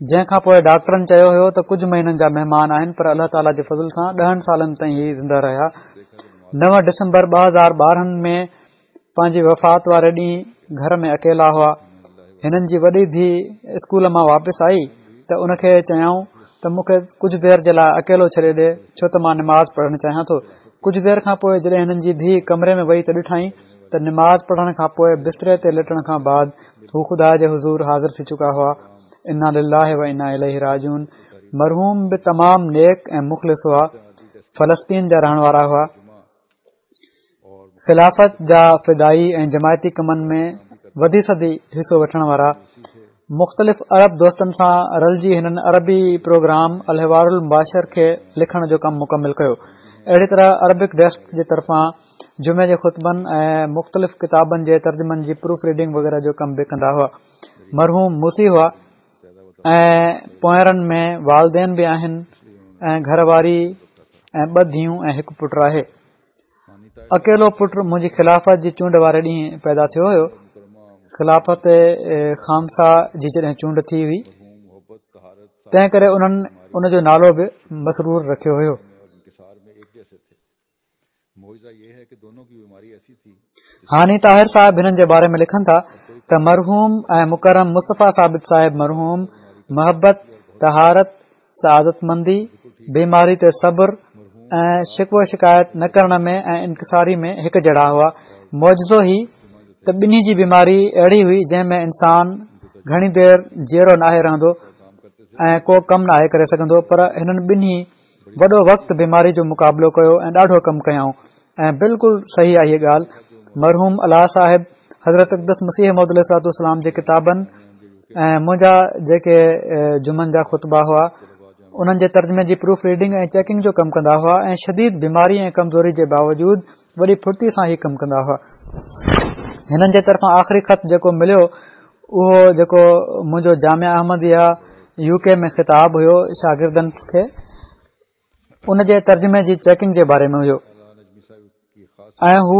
جنهن کان پوءِ ڊاڪٽرن چيو هيو ته ڪجهه مهينن جا مهمان آهن، پر الله تعاليٰ جي فضل سان ڏهن سالن تائين هي زنده رهيا. نو ڊسمبر ٻه هزار ٻارهن ۾ پنهنجي وفات واري ڏينهن گهر ۾ اڪيلا هئا. هنن جي وڏي ڌيءُ اسڪول مان واپس آئي ته ان کي چيائون ته مون کي ڪجهه دير جي لاءِ اڪيلو ڇڏي ڏي، ڇو ته مان نماز پڙهڻ چاهيان ٿو. ڪجهه دير کان پوءِ جڏهن هنن جي ڌيءُ ڪمري ۾ وئي ته ڏٺائين ته نماز پڙهڻ کان پوءِ بستري تي ليٽڻ کان بعد هو خدا جي حضور حاضر ٿي چڪا هئا. انا لله و انا اليه راجعون. مرحوم به تمام نيڪ ۽ مخلص هئا. فلسطين جا رهڻ وارا هئا. خلافت جا فدائي ۽ جماعتي ڪمن ۾ وڌي سڌي حصو وٺڻ وارا. مختلف عرب دوستن سان رلجي هنن عربي پروگرام الحوار المباشر کي لکڻ جو ڪم مڪمل ڪيو. اهڙي طرح عربڪ ڊيسڪ جي طرفان جمعي جي خطبن ۽ مختلف ڪتابن جي ترجمن جي پروف ريڊنگ وغيره جو ڪم به ڪندا هئا. مرحوم موصي هئا ۽ پوئرن ۾ والدين به آهن ۽ گهر واري ۽ ٻه ڌيئون ۽ هڪ پٽ آهي. اڪيلو پٽ منهنجي خلافت جي چونڊ واري ڏينهن پيدا ٿيو هيو. خلافت خامسه جي جڏهن چونڊ ٿي هئي، تنهن ڪري انهن ان جو نالو به مسرور رکيو هيو. هاني طاهر صاحب هنن جي باري ۾ لکن ٿا ته مرحوم ۽ مڪرم مصطفيٰ ثابت صاحب مرحوم محبت، طهارت، سعادت مندي، بيماري تي صبر ۽ شڪوه شڪايت نه ڪرڻ ۾ ۽ انڪساري ۾ هڪ جهڙا هئا. معجزو هي ته ٻنهي جي بيماري اهڙي هئي جنهن ۾ انسان گهڻي دير جيئرو ناهي رهندو ۽ ڪو ڪم ناهي ڪري سگهندو، پر هنن ٻنهي وڏو وقت بيماري جو مقابلو ڪيو ۽ ڏاڍو ڪم ڪيائون ۽ بلڪل صحيح آهي هيءَ ڳالهه. مرحوم علا صاحب حضرت اقدس مسيح موعود عليه الصلوة والسلام جي ڪتابن ۽ منهنجا جيڪي جمعن جا خطبا هئا انهن جي ترجمي جي پروف ريڊنگ ۽ چيڪنگ جو ڪم ڪندا هئا ۽ شديد بيماري ۽ ڪمزوري جي باوجود وڏي ڦرتي سان هي ڪم ڪندا هئا. هنن جي طرفان آخري خط جيڪو مليو اهو جيڪو منهنجو جامعه احمديه يو ڪي ۾ خطاب هيو شاگردن کي، ان جي ترجمي جي چيڪنگ جي باري ۾ هيو ۽ هو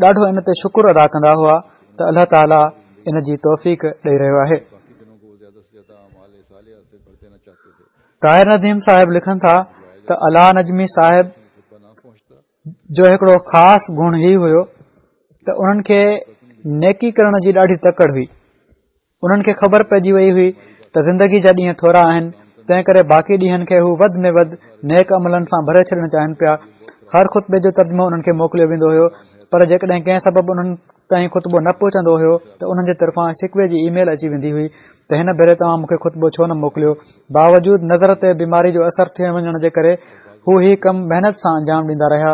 ڏاڍو ان تي شڪر ادا ڪندا هئا ته الله تعاليٰ ان جي توفيق ڏئي رهيو آهي. طاهر نديم صاحب لکن ٿا ته علا نجمي صاحب جو هڪڙو خاص گڻ هي هيو ته انهن کي نيڪي ڪرڻ جي ڏاڍي تڪڙ هئي. انهن کي خبر پئجي وئي هئي ته زندگي جا ڏينهن ٿورا آهن، تنهن ڪري باقي ڏينهن کي هو وڌ ۾ وڌ نيڪ عملن سان ڀري ڇڏڻ چاهين پيا. هر خطبي جو ترجمو انهن کي موڪليو ويندو هيو، پر جيڪڏهن ڪنهن سبب انهن تائين خطبو نه پهچندو هيو ته انهن جي طرفان شڪوي جي اي ميل اچي ويندي هئي ته هن ڀيري توهان مون کي خطبو ڇو نه موڪليو. باوجود نظر تي بيماري جو اثر ٿي وڃڻ جي ڪري هو هي ڪم محنت سان انجام ڏيندا رهيا.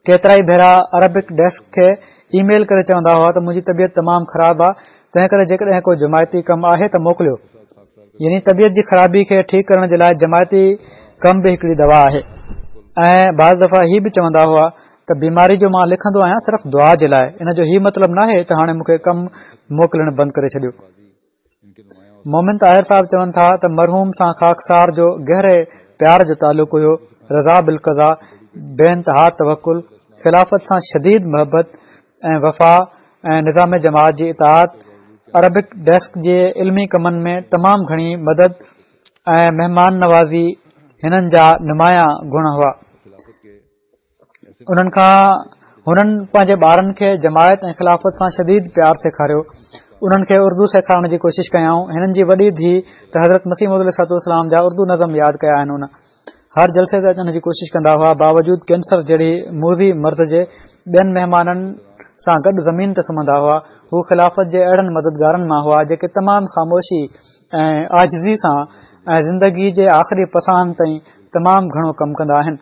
ڪيترائي ڀيرا عربڪ ڊيسڪ کي اي ميل ڪري چوندا هئا ته منهنجي طبيعت تمام خراب آهي، تنهن ڪري جيڪڏهن ڪو جماعتي ڪم آهي ته موڪليو. يعني طبيعت جي خرابي کي ٺيڪ ڪرڻ جي لاء جماعتي ڪم به هڪڙي دوا آهي. ۽ بعض دفعا هي به چوندا هئا ته بيماري جو مان لکندو آهيان صرف دعا جي لاء، ان جو هي مطلب ناهي ته هاڻي مون کي ڪم موڪلڻ بند ڪري ڇڏيو. مومن طاهر صاحب چون ٿا ته مرحوم سان خاڪسار جو گهري پيار جو تعلق هيو. رضا بالقضا، بي انتها توڪل، خلافت سان شديد محبت ۽ وفا ۽ نظام جماعت جي اطاعت، عربڪ ڊيسڪ جي علمي ڪمن ۾ تمام گهڻي مدد ۽ مهمان نوازي هنن جا نمايان گڻ هئا. انهن کان هنن پنهنجي ٻارن کي جماعت ۽ خلافت سان شديد پيار سيکاريو. انهن کي اردو سيکارڻ جي ڪوشش ڪيائون. هنن جي وڏي ڌيء ته حضرت مسيح موعود عليه الصلوة والسلام جا اردو نظم ياد ڪيا آهن. ان هر جلسي تي اچڻ جي ڪوشش ڪندا هئا، باوجود ڪينسر جهڙي موذي مرض جي ٻين مهمانن سان گڏ زمين تي سمهندا هئا. هو خلافت جي اهڙن مددگارن مان هئا جيڪي تمام خاموشي ۽ عاجزي سان ۽ زندگي جي آخري پساهن تائين تمام گهڻو ڪم ڪندا آهن.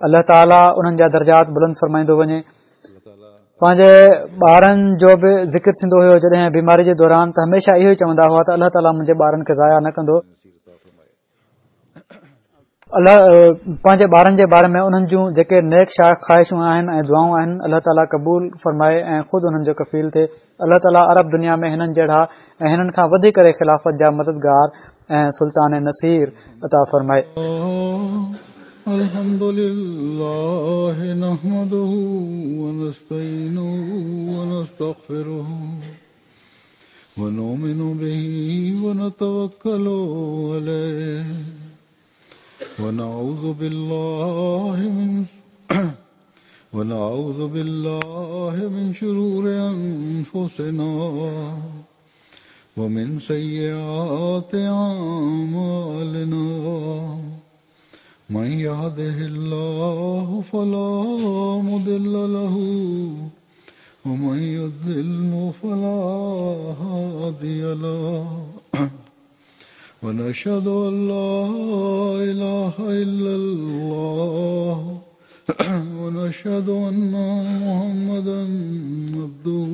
الله تعاليٰ انهن جا درجات بلند فرمائيندو وڃي. پنهنجي ٻارن جو به ذڪر ٿيندو هيو جڏهن بيماري جي دوران ته هميشه اهو ئي چوندا هئا ته الله تعاليٰ منهنجي ٻارن کي ضايع نه ڪندو. الله پنهنجي ٻارن جي باري ۾ انهن جون جيڪي نيڪ خواهشون آهن ۽ دعائون آهن الله تعاليٰ قبول فرمائي ۽ خود انهن جو ڪفيل ٿئي. الله تعاليٰ عرب دنيا ۾ هنن جهڙا ۽ هنن کان وڌي ڪري خلافت جا مددگار ۽ سلطان نصير عطا فرمائي. الحمد لله نحمده ونستعينه ونستغفره ونؤمن به ونتوكل عليه ونعوذ بالله من ونعوذ بالله من شرور أنفسنا ومن سيئات أعمالنا من يهده الله فلا مضل له ومن يضلل فلا هادي له ونشهد أن لا إله إلا الله ونشهد أن محمدا عبده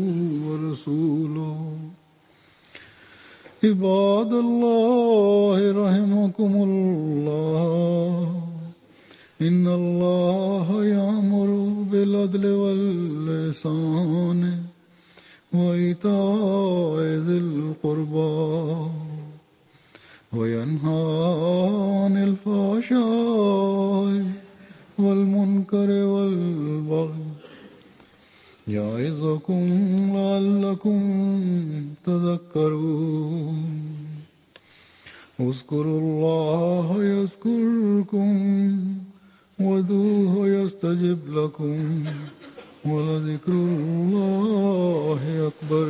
ورسوله. عباد الله رحمكم الله، إن الله يأمر بالعدل والإحسان وإيتاء ذي القربى وينهى عن الفحشاء والمنكر والبغي يعظكم لعلكم تذكرون. اذكروا الله يذكركم وادعوه يستجب لكم ولذكر الله أكبر.